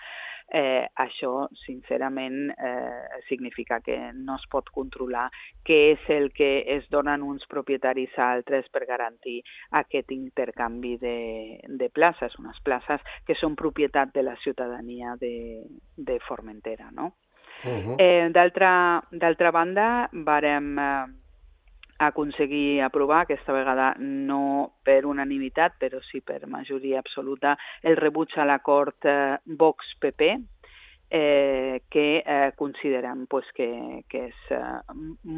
eh, això, sincerament, eh, significa que no es pot controlar què és el que es donen uns propietaris a altres per garantir aquest intercanvi de, de places, unes places que són propietat de la ciutadania de, de Formentera. No? Uh-huh. eh, d'altra, d'altra banda, vàrem eh, aconseguir aprovar, aquesta vegada no per unanimitat, però sí per majoria absoluta, el rebuig a l'acord eh, Vox-P P, eh, que eh, considerem pues, que, que és eh,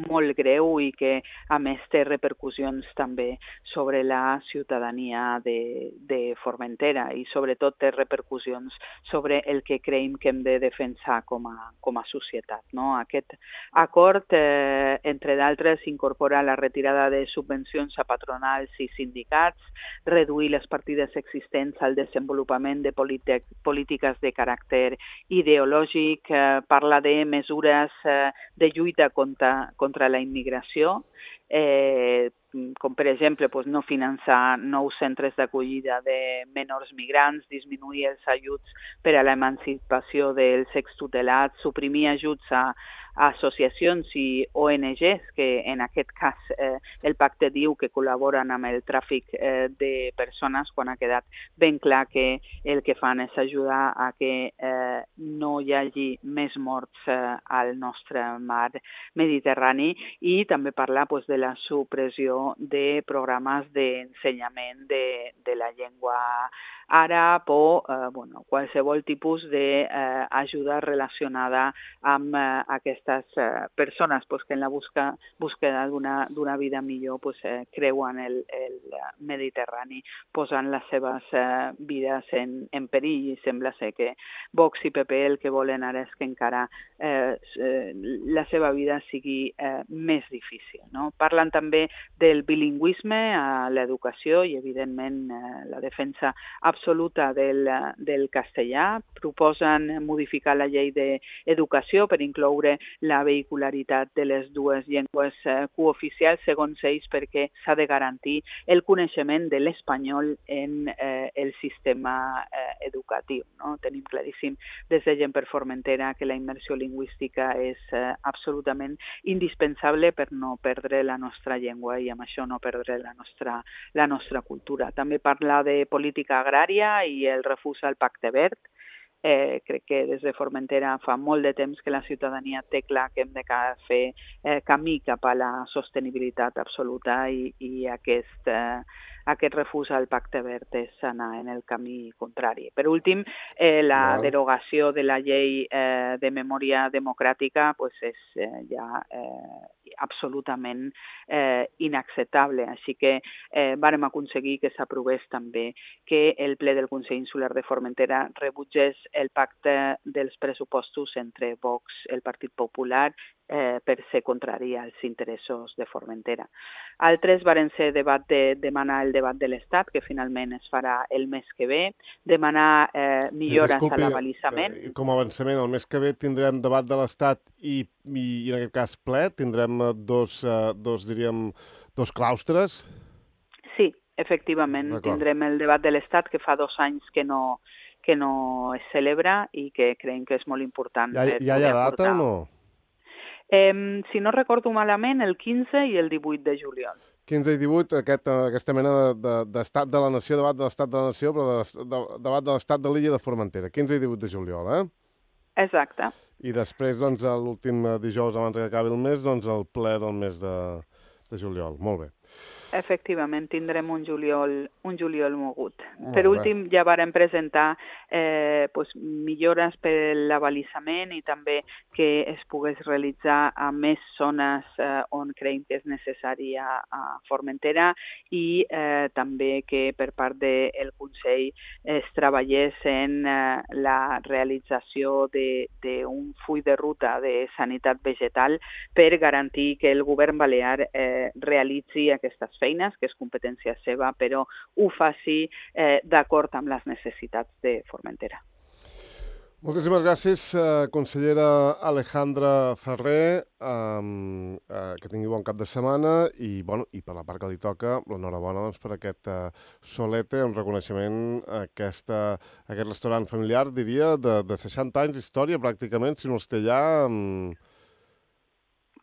molt greu i que a més té repercussions també sobre la ciutadania de, de Formentera i sobretot té repercussions sobre el que creiem que hem de defensar com a, com a societat. No? Aquest acord, eh, entre d'altres, incorpora la retirada de subvencions a patronals i sindicats, reduir les partides existents al desenvolupament de polítiques de caràcter ideològic, ideològic, eh, parla de mesures eh, de lluita contra, contra la immigració, eh, com per exemple pues, no finançar nous centres d'acollida de menors migrants, disminuir els ajuts per a l'emancipació dels extutelats, suprimir ajuts a, a associacions i O N Ges, que en aquest cas eh, el pacte diu que col·laboren amb el tràfic eh, de persones, quan ha quedat ben clar que el que fan és ajudar a que eh, no hi hagi més morts eh, al nostre mar Mediterrani, i també parlar pues, de la supressió de programes d'ensenyament de, de la llengua àrab o eh, bueno, qualsevol tipus d'ajuda eh, relacionada amb eh, aquestes eh, persones pues, que en la busca, búsqueda d'una vida millor pues, eh, creuen el, el Mediterrani posant les seves eh, vides en, en perill, i sembla ser que Vox i P P el que volen ara és que encara eh, eh, la seva vida sigui eh, més difícil. No? Parlen també del bilingüisme a l'educació i, evidentment, eh, la defensa absoluta del, del castellà. Proposen modificar la llei d'educació per incloure la vehicularitat de les dues llengües eh, cooficials, segons ells, perquè s'ha de garantir el coneixement de l'espanyol en eh, el sistema eh, educatiu. No? Tenim claríssim des de Gent per Formentera que la immersió lingüística és eh, absolutament indispensable per no perdre la nostra llengua i amb això no perdre la nostra, la nostra cultura. També parla de política agrària i el refús al Pacte Verd. Eh, crec que des de Formentera fa molt de temps que la ciutadania té clar que hem de fer eh, camí cap a la sostenibilitat absoluta i, i aquest, eh, aquest refús al Pacte Verd és anar en el camí contrari. Per últim, eh, la wow. derogació de la llei eh, de memòria democràtica pues és eh, ja eh, absolutament eh, inacceptable. Així que eh, vàrem aconseguir que s'aprovés també que el ple del Consell Insular de Formentera rebutgés el pacte dels pressupostos entre Vox, el Partit Popular, eh, per ser contrari als interessos de Formentera. Altres varen ser debat de, demanar el debat de l'Estat, que finalment es farà el mes que ve, demanar eh, millores Disculpi, a l'abalisament. Eh, com a avançament, el mes que ve tindrem debat de l'Estat i, i, i en aquest cas ple, tindrem dos, eh, dos diríem, dos claustres? Sí, efectivament, tindrem el debat de l'Estat, que fa dos anys que no, que no es celebra i que creiem que és molt important. Ja, ja hi ha data o no? Eh, si no recordo malament, el quinze i el divuit de juliol. quinze i divuit, aquest, aquesta mena d'estat de, de, de la nació, debat de l'estat de la nació, però de, de, debat de l'estat de l'illa de Formentera, quinze i divuit de juliol, eh? Exacte. I després, doncs, l'últim dijous abans que acabi el mes, doncs, el ple del mes de, de juliol. Molt bé. Efectivament, tindrem un juliol, un juliol mogut. Oh, per últim, ja vàrem presentar eh, pues, millores per l'abalisament i també que es pogués realitzar a més zones eh, on creiem que és necessari a, a Formentera i eh, també que per part del Consell es treballés en eh, la realització d'un full de ruta de sanitat vegetal per garantir que el govern balear eh, realitzi aquestes feines, que és competència seva, però ho faci eh, d'acord amb les necessitats de Formentera. Moltíssimes gràcies, eh, consellera Alejandra Ferrer, eh, eh, que tingui bon cap de setmana i, bueno, i per la part que li toca, l'enhorabona doncs, per aquest eh, solete, un reconeixement a aquesta, a aquest restaurant familiar, diria, de, de seixanta anys d'història, pràcticament, si no els té ja... Eh,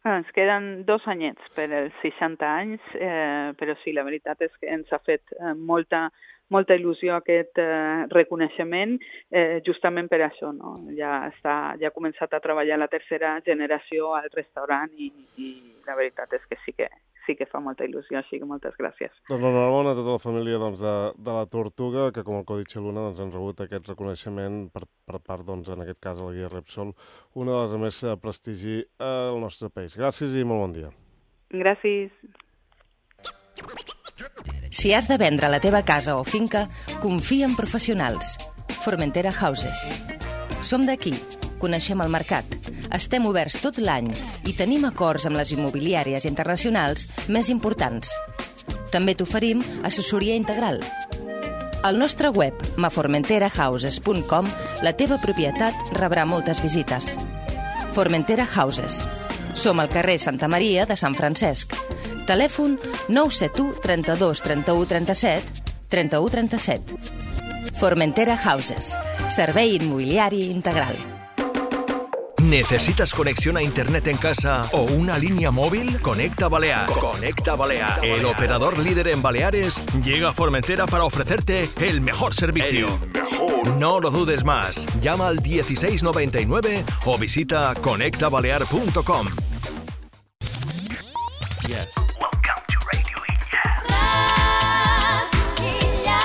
Ens queden dos anyets per els seixanta anys, eh, però sí, la veritat és que ens ha fet eh, molta, molta il·lusió aquest eh, reconeixement, eh, justament per això. No? Ja, està, ja ha començat a treballar la tercera generació al restaurant i, i la veritat és que sí que sí que fa molta il·lusió, així que moltes gràcies. Doncs enhorabona a tota la família doncs, de, de la Tortuga, que com el Codi Xeluna doncs, han rebut aquest reconeixement per, per part, doncs, en aquest cas, de la Guia Repsol, una de les a més prestigi al nostre país. Gràcies i molt bon dia. Gràcies. Si has de vendre la teva casa o finca, confia en professionals. Formentera Houses. Som d'aquí. Coneixem el mercat, estem oberts tot l'any i tenim acords amb les immobiliàries internacionals més importants. També t'oferim assessoria integral. Al nostre web, ma formentera houses punt com, la teva propietat rebrà moltes visites. Formentera Houses. Som al carrer Santa Maria de Sant Francesc. Telèfon nou set u, trenta-dos, trenta-u, trenta-set, trenta-u, trenta-set. Formentera Houses. Servei immobiliari integral. ¿Necesitas conexión a internet en casa o una línea móvil? Conecta Balear. Conecta Balear. El operador líder en Baleares llega a Formentera para ofrecerte el mejor servicio. El mejor. No lo dudes más. Llama al dieciséis noventa y nueve o visita conecta balear punto com. Yes. Welcome to Radio Illa. Radio Illa.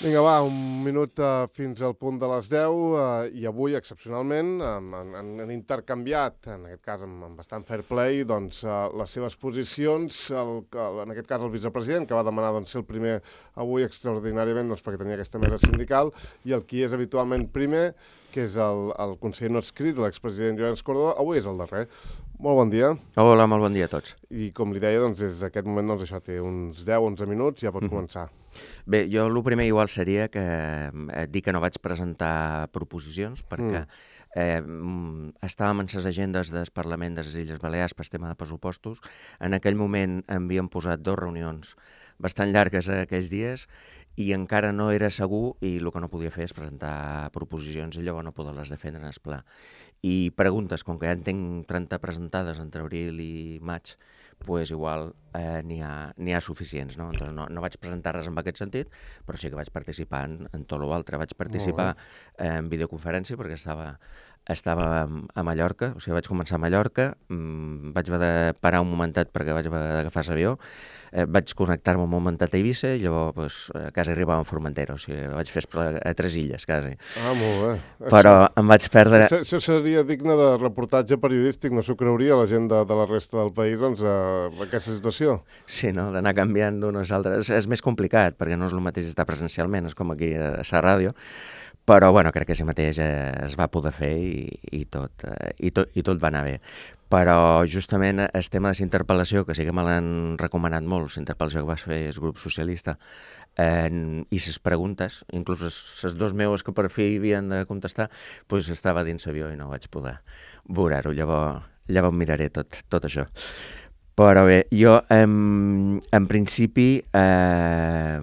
Vinga, va, un minut uh, fins al punt de les deu uh, i avui, excepcionalment, um, han, han intercanviat, en aquest cas amb, amb bastant fair play, doncs, uh, les seves posicions. El, el, en aquest cas el vicepresident, que va demanar doncs, ser el primer avui extraordinàriament doncs, perquè tenia aquesta mesa sindical, i el qui és habitualment primer, que és el, el conseller no escrit, l'expresident Llorenç Córdoba, avui és el darrer. Molt bon dia. Hola, molt bon dia a tots. I com li deia, doncs, des d'aquest moment doncs, això té uns deu onze minuts, ja pot mm-hmm. començar. Bé, jo el primer igual seria que eh, dir que no vaig presentar proposicions perquè mm. eh, estàvem en les agendes del Parlament de les Illes Balears per tema de pressupostos. En aquell moment havíem posat dues reunions bastant llargues aquells dies i encara no era segur i el que no podia fer és presentar proposicions i llavors no poder-les defendre en el pla. I preguntes, com que ja en tinc trenta presentades entre abril i maig, pues igual eh, n'hi ha, n'hi ha suficients, no? Entonces no, no vaig presentar res en aquest sentit, però sí que vaig participar en, en tot l'altre. Vaig participar eh, en videoconferència perquè estava, estava a Mallorca, o sigui, vaig començar a Mallorca, mmm, vaig haver de parar un momentet perquè vaig haver d'agafar l'avió, eh, vaig connectar-me un momentet a Eivissa i llavors pues, eh, quasi arribava a Formentera, o sigui, vaig fer a tres illes, quasi. Ah, molt bé. Però això, em vaig perdre... Això, això seria digne de reportatge periodístic, no s'ho creuria la gent de, de la resta del país, doncs, a aquesta situació. Sí, no?, d'anar canviant d'unes altres. És més complicat, perquè no és el mateix estar presencialment, és com aquí a la ràdio, però bueno, crec que sí mateix eh, es va poder fer i, i, tot, eh, i, tot, i tot va anar bé. Però justament el tema de la interpel·lació, que sí que me l'han recomanat molt, la interpel·lació que vas fer el grup socialista, eh, i les preguntes, inclús les dos meus que per fi havien de contestar, doncs estava dins l'avió i no vaig poder veure-ho. Llavors, llavors miraré tot, tot això. Però bé, jo en, en principi eh,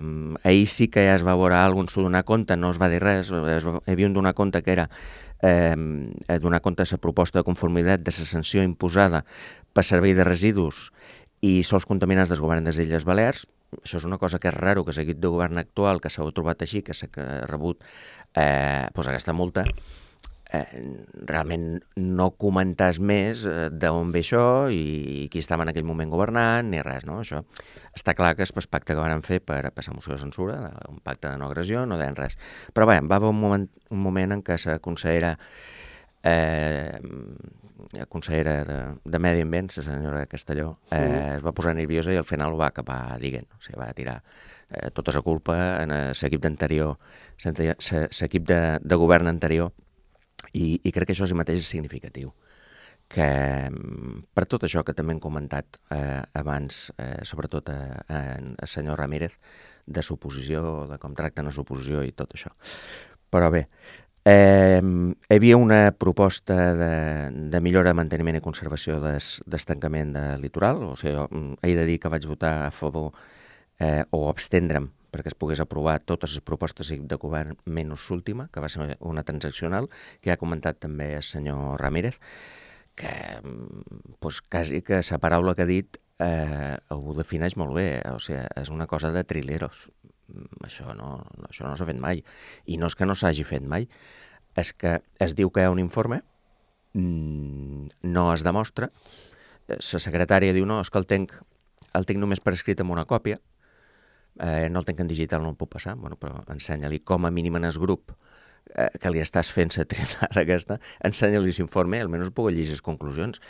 ahir sí que ja es va veure alguna cosa, donar compte, no es va dir res, es va, hi havia un donar compte que era eh, donar compte de la proposta de conformitat de la sanció imposada per servei de residus i sols contaminants del govern de les Illes Balears. Això és una cosa que és raro, que l'equip de govern actual, que s'ha trobat així, que s'ha rebut eh, pues aquesta multa, Eh, realment no comentes més eh, d'on ve això i qui estava en aquell moment governant ni res, no? Això està clar que és el pacte que van fer per passar moció de censura, un pacte de no agressió, no deien res. Però bé, va haver un moment, un moment en què la consellera eh, la consellera de, de Medi Ambient, la senyora Castelló, eh, sí. es va posar nerviosa i al final ho va acabar dient, o sigui, va tirar eh, tota la culpa en l'equip d'anterior, l'equip de, de govern anterior. I, i crec que això sí mateix és significatiu, que per tot això que també hem comentat eh, abans, eh, sobretot a, a, a senyor Ramírez, de suposició, de com tracten la suposició i tot això. Però bé, eh, hi havia una proposta de, de millora, manteniment i conservació d'estancament de litoral, o sigui, jo he de dir que vaig votar a favor eh, o abstendre'm perquè es pogués aprovar totes les propostes de govern menys l'última, que va ser una transaccional, que ja ha comentat també el senyor Ramírez, que pues, quasi que la paraula que ha dit eh, ho defineix molt bé, o sigui, és una cosa de trileros. Això no, això no s'ha fet mai. I no és que no s'hagi fet mai, és que es diu que hi ha un informe, no es demostra, la secretària diu no, és que el tinc, el tinc només per escrit amb una còpia, Eh, no el tenc en digital, no el puc passar, bueno, però ensenya-li com a mínim en el grup eh, que li estàs fent la trilada aquesta, ensenya-li l'informe, almenys puc llegir les conclusions.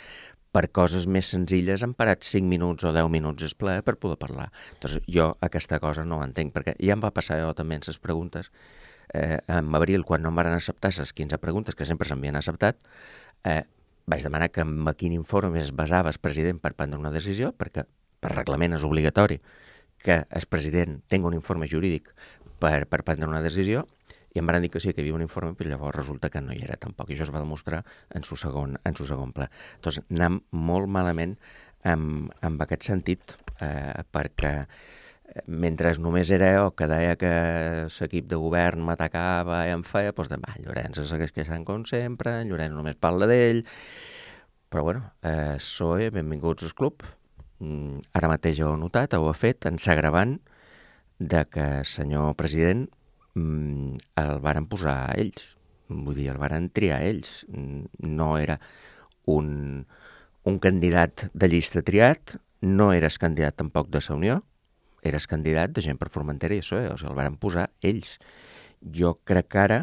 Per coses més senzilles han parat cinc minuts o deu minuts es ple per poder parlar. Entonces, jo aquesta cosa no l'entenc, perquè ja em va passar jo també en les preguntes, eh, en abril, quan no em van acceptar les quinze preguntes que sempre s'havien acceptat, eh, vaig demanar que en quin informe es basava el president per prendre una decisió, perquè per reglament és obligatori que el president tingui un informe jurídic per, per prendre una decisió, i em van dir que sí, que hi havia un informe, però llavors resulta que no hi era tampoc, i això es va demostrar en su segon, en su segon pla. Doncs anem molt malament en, en aquest sentit, eh, perquè mentre només era jo que deia que l'equip de govern m'atacava i em feia, doncs demà, Llorenç es segueix queixant com sempre, Llorenç només parla d'ell, però bueno, eh, S O E, benvinguts al club. Ara mateix ho he notat, ho he fet, en s'agravant de que el senyor president el varen posar ells, vull dir, el varen triar ells. No era un, un candidat de llista triat, no era el candidat tampoc de la Unió, eres candidat de Gent per Formentera i això, eh? O sigui, el van posar ells. Jo crec que ara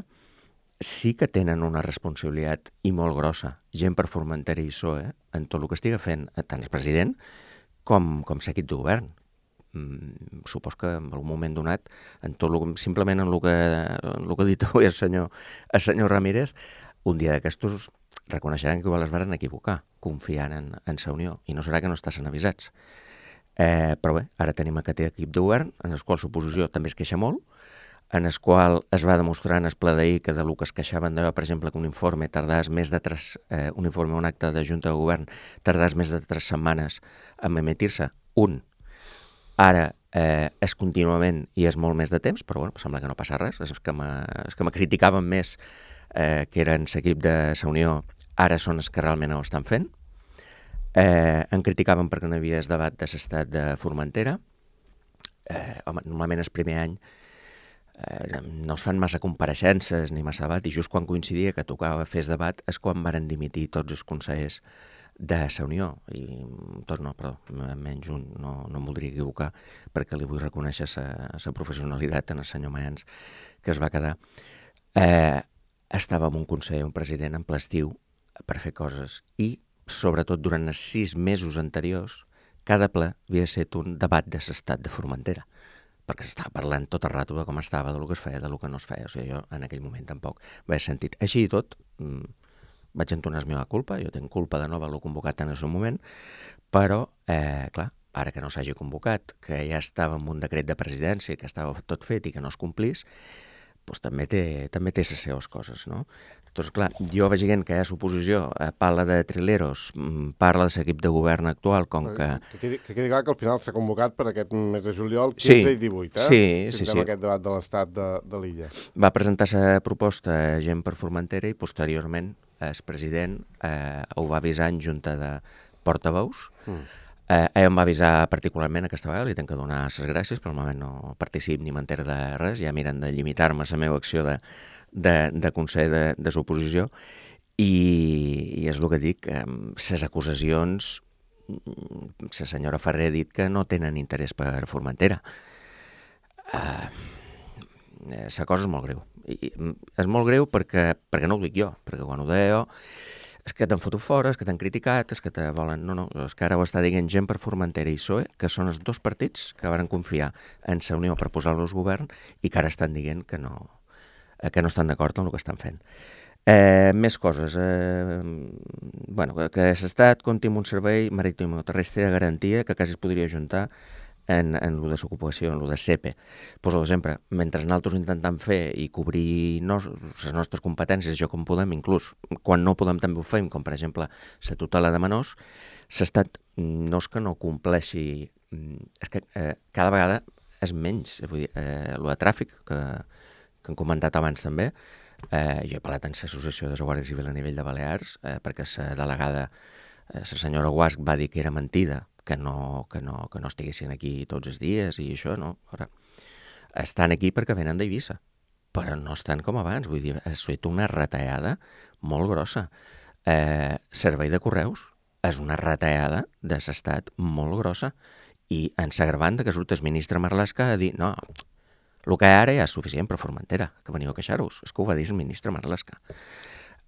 sí que tenen una responsabilitat i molt grossa, Gent per Formentera i P S O E, en tot el que estiga fent tant el president com, com l'equip de govern. Mm, supos que en algun moment donat, en tot lo, simplement en el que, en lo que ha dit avui el senyor, el senyor Ramírez, un dia d'aquestos reconeixeran que igual es varen equivocar, confiant en, en la Unió, i no serà que no estàs avisats. Eh, però bé, ara tenim aquest equip de govern, en el qual l'oposició també es queixa molt, en el qual es va demostrar en el ple d'ahir que de lo que es queixaven d'allò, per exemple, que un informe tardàs més de tres, eh, un informe, un acte de Junta de Govern, tardàs més de tres setmanes en emitir-se, un. Ara eh, és contínuament i és molt més de temps, però bueno, sembla que no passa res. Els que me, els que me criticaven més, eh, que eren l'equip de la Unió, ara són els que realment ho estan fent. Eh, en criticaven perquè no hi havia el debat de l'estat de Formentera. Eh, home, normalment el primer any eh, no es fan massa compareixences ni massa debat, i just quan coincidia que tocava fer el debat és quan varen dimitir tots els consellers de la Unió, i tots no, perdó, menys un, no, no em voldria equivocar, perquè li vull reconèixer la professionalitat en el senyor Mayans, que es va quedar. Eh, estava amb un conseller, un president en ple estiu per fer coses, i sobretot durant els sis mesos anteriors, cada ple havia estat un debat de l'estat de Formentera, perquè s'estava parlant tot el rato de com estava, de lo que es feia, de lo que no es feia. O sigui, jo en aquell moment tampoc vaig sentit. Així i tot, mmm, vaig entonar la meva culpa, jo tinc culpa de no haver-lo convocat en el seu moment, però, eh, clar, ara que no s'hagi convocat, que ja estava en un decret de presidència, que estava tot fet i que no es complís, doncs també té, també té les seves coses, no? Doncs clar, jo veient que hi ha l'oposició, eh, parla de trileros, parla de l'equip de govern actual, com que... Que quedi, que quedi clar que al final s'ha convocat per aquest mes de juliol, quinze sí, i divuit, eh? Sí, sí, sí. Aquest debat de l'estat de, de l'illa. Va presentar la proposta Gent per Formentera i posteriorment el president eh, ho va avisar en junta de portaveus. Mm. Eh, ell em va avisar particularment aquesta vegada, li tenc que donar les gràcies, però normalment no particip ni m'entero de res, ja miren de limitar-me la meva acció de, de, de consell de, de l'oposició, i, i és el que dic, eh, les acusacions, la senyora Ferrer ha dit que no tenen interès per Formentera. Eh, la cosa és molt greu. I és molt greu perquè, perquè no ho dic jo, perquè quan ho deia jo és que t'han fotut fora, és que t'han criticat, és que te volen... No, no, és que ara ho està dient Gent per Formentera i P S O E, que són els dos partits que van confiar en la Unió per posar-los govern i que ara estan dient que no, que no estan d'acord amb el que estan fent. Eh, més coses. Eh, bueno, que, que l'Estat compti amb un servei marítim o terrestre de garantia que quasi es podria ajuntar en, en lo de l'ocupació, en lo de C E P E. Pues, sempre, mentre nosaltres intentem fer i cobrir nos, les nostres competències, jo com podem, inclús quan no podem també ho fem, com per exemple la tutela de menors, s'estat, no és que no compleixi, és que eh, cada vegada és menys, vull dir, eh, lo de tràfic, que, que hem comentat abans també, eh, jo he parlat en l'associació de la Guàrdia Civil a nivell de Balears, eh, perquè la delegada, eh, la senyora Guasc, va dir que era mentida, que no, que no, que no estiguessin aquí tots els dies i això, no? Ara, estan aquí perquè venen d'Eivissa, però no estan com abans, vull dir, ha estat una retallada molt grossa. Eh, servei de correus és una retallada de l'estat molt grossa, i ens agravant que surt el ministre Marlaska a dir no, el que ara ja és suficient per Formentera, que veniu a queixar-vos. És que ho va dir el ministre Marlaska.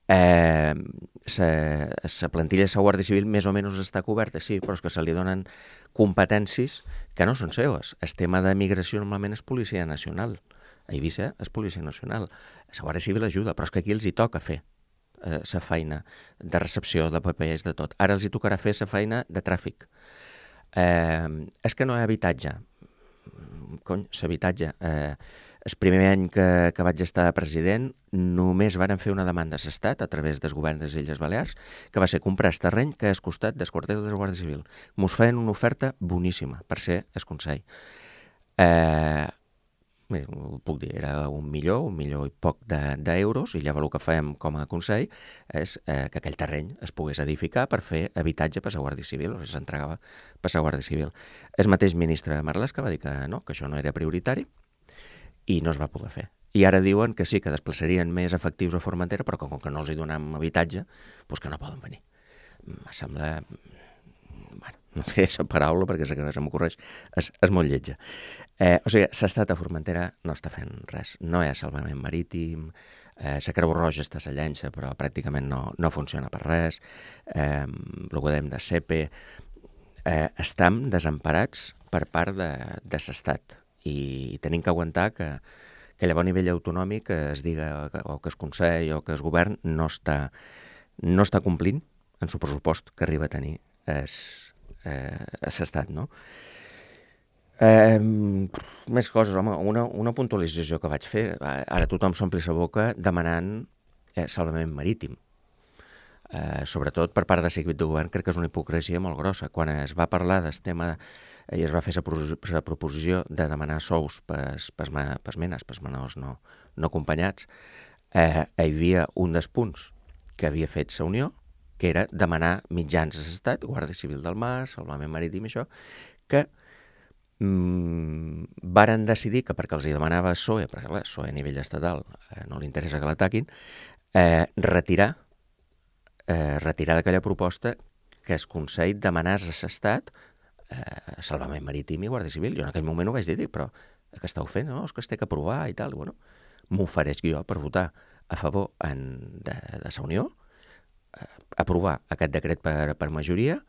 Eh, la plantilla de la Guàrdia Civil més o menys està coberta, sí, però és que se li donen competències que no són seues. El tema de migració normalment és Policia Nacional. A Eivissa és Policia Nacional. La Guàrdia Civil ajuda, però és que aquí els hi toca fer la eh, feina de recepció, de papers, de tot. Ara els hi tocarà fer la feina de tràfic. Eh, és que no hi ha habitatge. Cony, l'habitatge... Eh, el primer any que, que vaig estar president només varen fer una demanda a l'Estat a través dels governs de les Illes Balears, que va ser comprar el terreny que és costat del quartel de la Guàrdia Civil. Mos feien una oferta boníssima per ser el Consell. Eh, bé, ho puc dir, era un milió, un milió i poc d'euros, de, i llavors el que fèiem com a Consell és eh, que aquell terreny es pogués edificar per fer habitatge per la Guàrdia Civil, o sigui, s'entregava per la Guàrdia Civil. El mateix ministre Marlaska va dir que no, que això no era prioritari, i no es va poder fer. I ara diuen que sí, que desplaçarien més efectius a Formentera, però com que no els hi donem habitatge, doncs que no poden venir. Em sembla... Bueno, no sé aquesta paraula perquè és la que se m'ocorreix, és, és molt lletja. Eh, o sigui, l'estat a Formentera no està fent res. No hi ha salvament marítim, eh, la Creu Roja està a la llença, però pràcticament no, no funciona per res. Eh, el que dèiem de S E P E, eh, estem desemparats per part de, de l'estat i tenim que aguantar que, que llavors a nivell autonòmic es diga que, o que es Consell o que es govern no està, no està complint en el pressupost que arriba a tenir es, eh, l'estat, no? Eh, més coses, home, una, una puntualització que vaig fer, ara tothom s'ompli la boca demanant eh, salvament marítim. Eh, sobretot per part de l'equip de govern, crec que és una hipocresia molt grossa. Quan es va parlar del tema i es va fer la proposició de demanar sous pels menes, pels menors no, no acompanyats, eh, hi havia un dels punts que havia fet la Unió, que era demanar mitjans a l'Estat, Guàrdia Civil del Mar, Salvament Marítim, això, que mm, varen decidir que perquè els hi demanava el P S O E, perquè clar, el P S O E a nivell estatal eh, no li interessa que l'ataquin, eh, retirar, eh, retirar d'aquella proposta que el Consell demanés a l'Estat eh, Salvament Marítim i Guàrdia Civil. Jo en aquell moment ho vaig dir, però què esteu fent? No? És que es té que aprovar i tal. Bueno, m'ofereix jo per votar a favor en, de, de la Unió, eh, aprovar aquest decret per, per majoria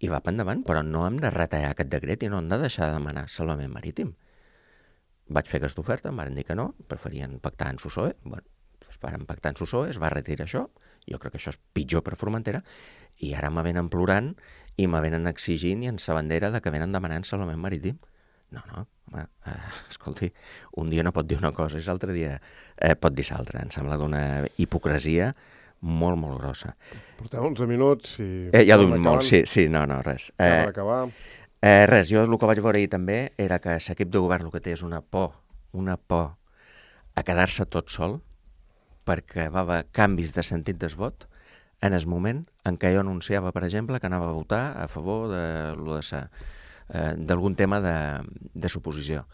i va per endavant, però no hem de retallar aquest decret i no hem de deixar de demanar salvament marítim. Vaig fer aquesta oferta, em van dir que no, preferien pactar en S U S O E, bueno, doncs varen pactar en S U S O E, es va retirar això, jo crec que això és pitjor per Formentera, i ara me venen plorant i me venen exigint i en sa bandera de que venen demanant salvament marítim. No, no, home, eh, escolti, un dia no pot dir una cosa i l'altre dia eh, pot dir l'altra. Em sembla d'una hipocresia molt, molt grossa. Portem onze minuts i... Eh, ja duim molt, sí, sí, no, no, res. Eh, per acabar... Eh, res, jo el que vaig veure ahir també era que l'equip de govern el que té és una por, una por a quedar-se tot sol, perquè va haver canvis de sentit del vot en el moment en què jo anunciava, per exemple, que anava a votar a favor de, de sa, eh, d'algun tema de, de suposició.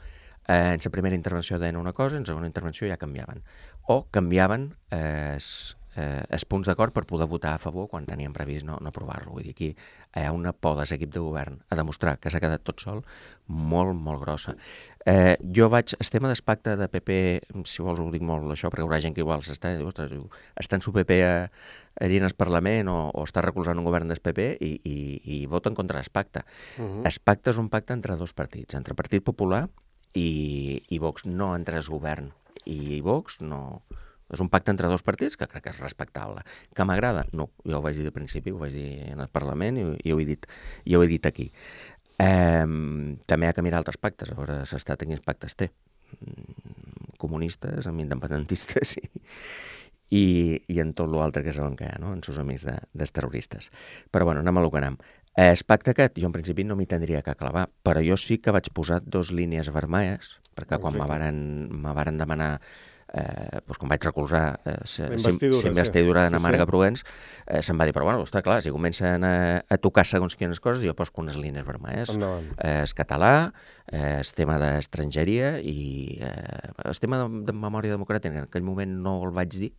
Eh, en la primera intervenció deien una cosa, en la segona intervenció ja canviaven. O canviaven eh, els eh, els punts d'acord per poder votar a favor quan teníem previst no, no aprovar-lo. Vull dir, aquí hi ha una por de l'equip de govern a demostrar que s'ha quedat tot sol molt, molt grossa. Eh, jo vaig, el tema del pacte de P P, si vols ho dic molt això, perquè hi haurà gent que igual s'està, diu, ostres, diu, està en su P P a, allí en el Parlament o, o està recolzant un govern del P P i, i, i voten contra el pacte. Uh-huh. El pacte és un pacte entre dos partits, entre el Partit Popular i, i Vox, no entre el govern i Vox, no... És un pacte entre dos partits que crec que és respectable. Que m'agrada? No, jo ho vaig dir de principi, ho vaig dir en el Parlament i, i, ho, he dit, i ho he dit aquí. Eh, també hi ha que mirar altres pactes, a veure l'estat quins pactes té. Comunistes amb independentistes i, i, i en tot l'altre que saben que hi ha, no? En seus amics de, dels terroristes. Però bueno, anem a lo que anem. El pacte aquest, jo en principi no m'hi tindria que clavar, però jo sí que vaig posar dos línies vermelles, perquè quan me varen, me varen demanar Eh, doncs quan vaig recolzar eh, la investidura d'en Marga Provenç, eh, se'm va dir, però bueno, està clar, si comencen a, a tocar segons quines coses, jo poso unes línies vermelles. Eh, el català, eh, el tema d'estrangeria i eh, el tema de, de memòria democràtica, en aquell moment no el vaig dir,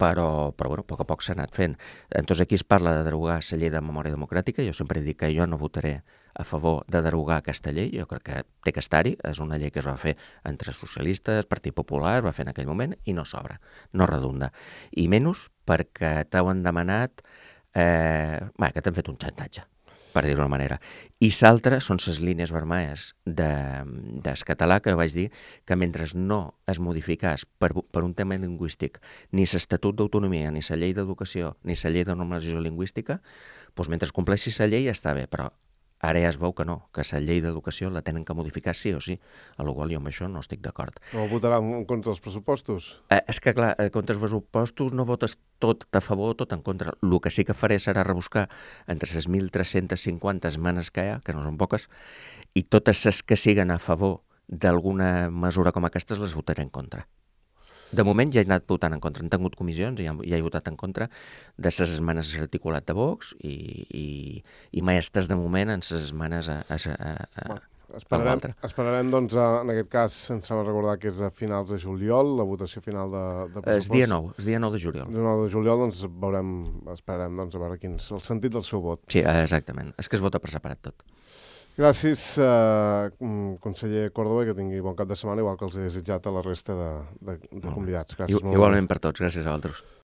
però, però bueno, a poc a poc s'ha anat fent. Entonces aquí es parla de derogar la llei de memòria democràtica, jo sempre dic que jo no votaré a favor de derogar aquesta llei, jo crec que té que estar-hi, és una llei que es va fer entre socialistes, Partit Popular, es va fer en aquell moment i no s'obre, no redunda. I menys perquè t'ho han demanat, eh, bé, que t'han fet un xantatge, per dir-ho d'una manera. I l'altra són les línies vermelles de, del català, que vaig dir que mentre no es modificàs per, per un tema lingüístic ni l'Estatut d'Autonomia, ni la llei d'Educació, ni la llei de normalització lingüística, doncs mentre es compleixi la llei està bé, però ara ja es veu que no, que la llei d'educació la tenen que modificar sí o sí, a la qual jo amb això no estic d'acord. No votarà contra els pressupostos? Eh, és que, clar, contra els pressupostos no votes tot a favor o tot en contra. El que sí que faré serà rebuscar entre les mil tres-cents cinquanta esmenes que hi ha, que no són poques, i totes les que siguen a favor d'alguna mesura com aquestes les votaré en contra. De moment ja he anat votant en contra. Han tingut comissions i ja he votat en contra de les esmenes articulat de Vox i, i, i maestres de moment en les esmenes a, a, a, a, Esperarem, l'altre. esperarem, doncs, a, en aquest cas, em sembla recordar que és a finals de juliol, la votació final de, de És dia nou, és dia nou de juliol. El nou de juliol, doncs, veurem, esperarem, doncs, a veure quin és el sentit del seu vot. Sí, exactament. És que es vota per separat tot. Gràcies, eh, conseller Córdoba, que tingui bon cap de setmana, igual que els he desitjat a la resta de, de, de convidats. Gràcies. I, igualment per tots, gràcies a vosaltres.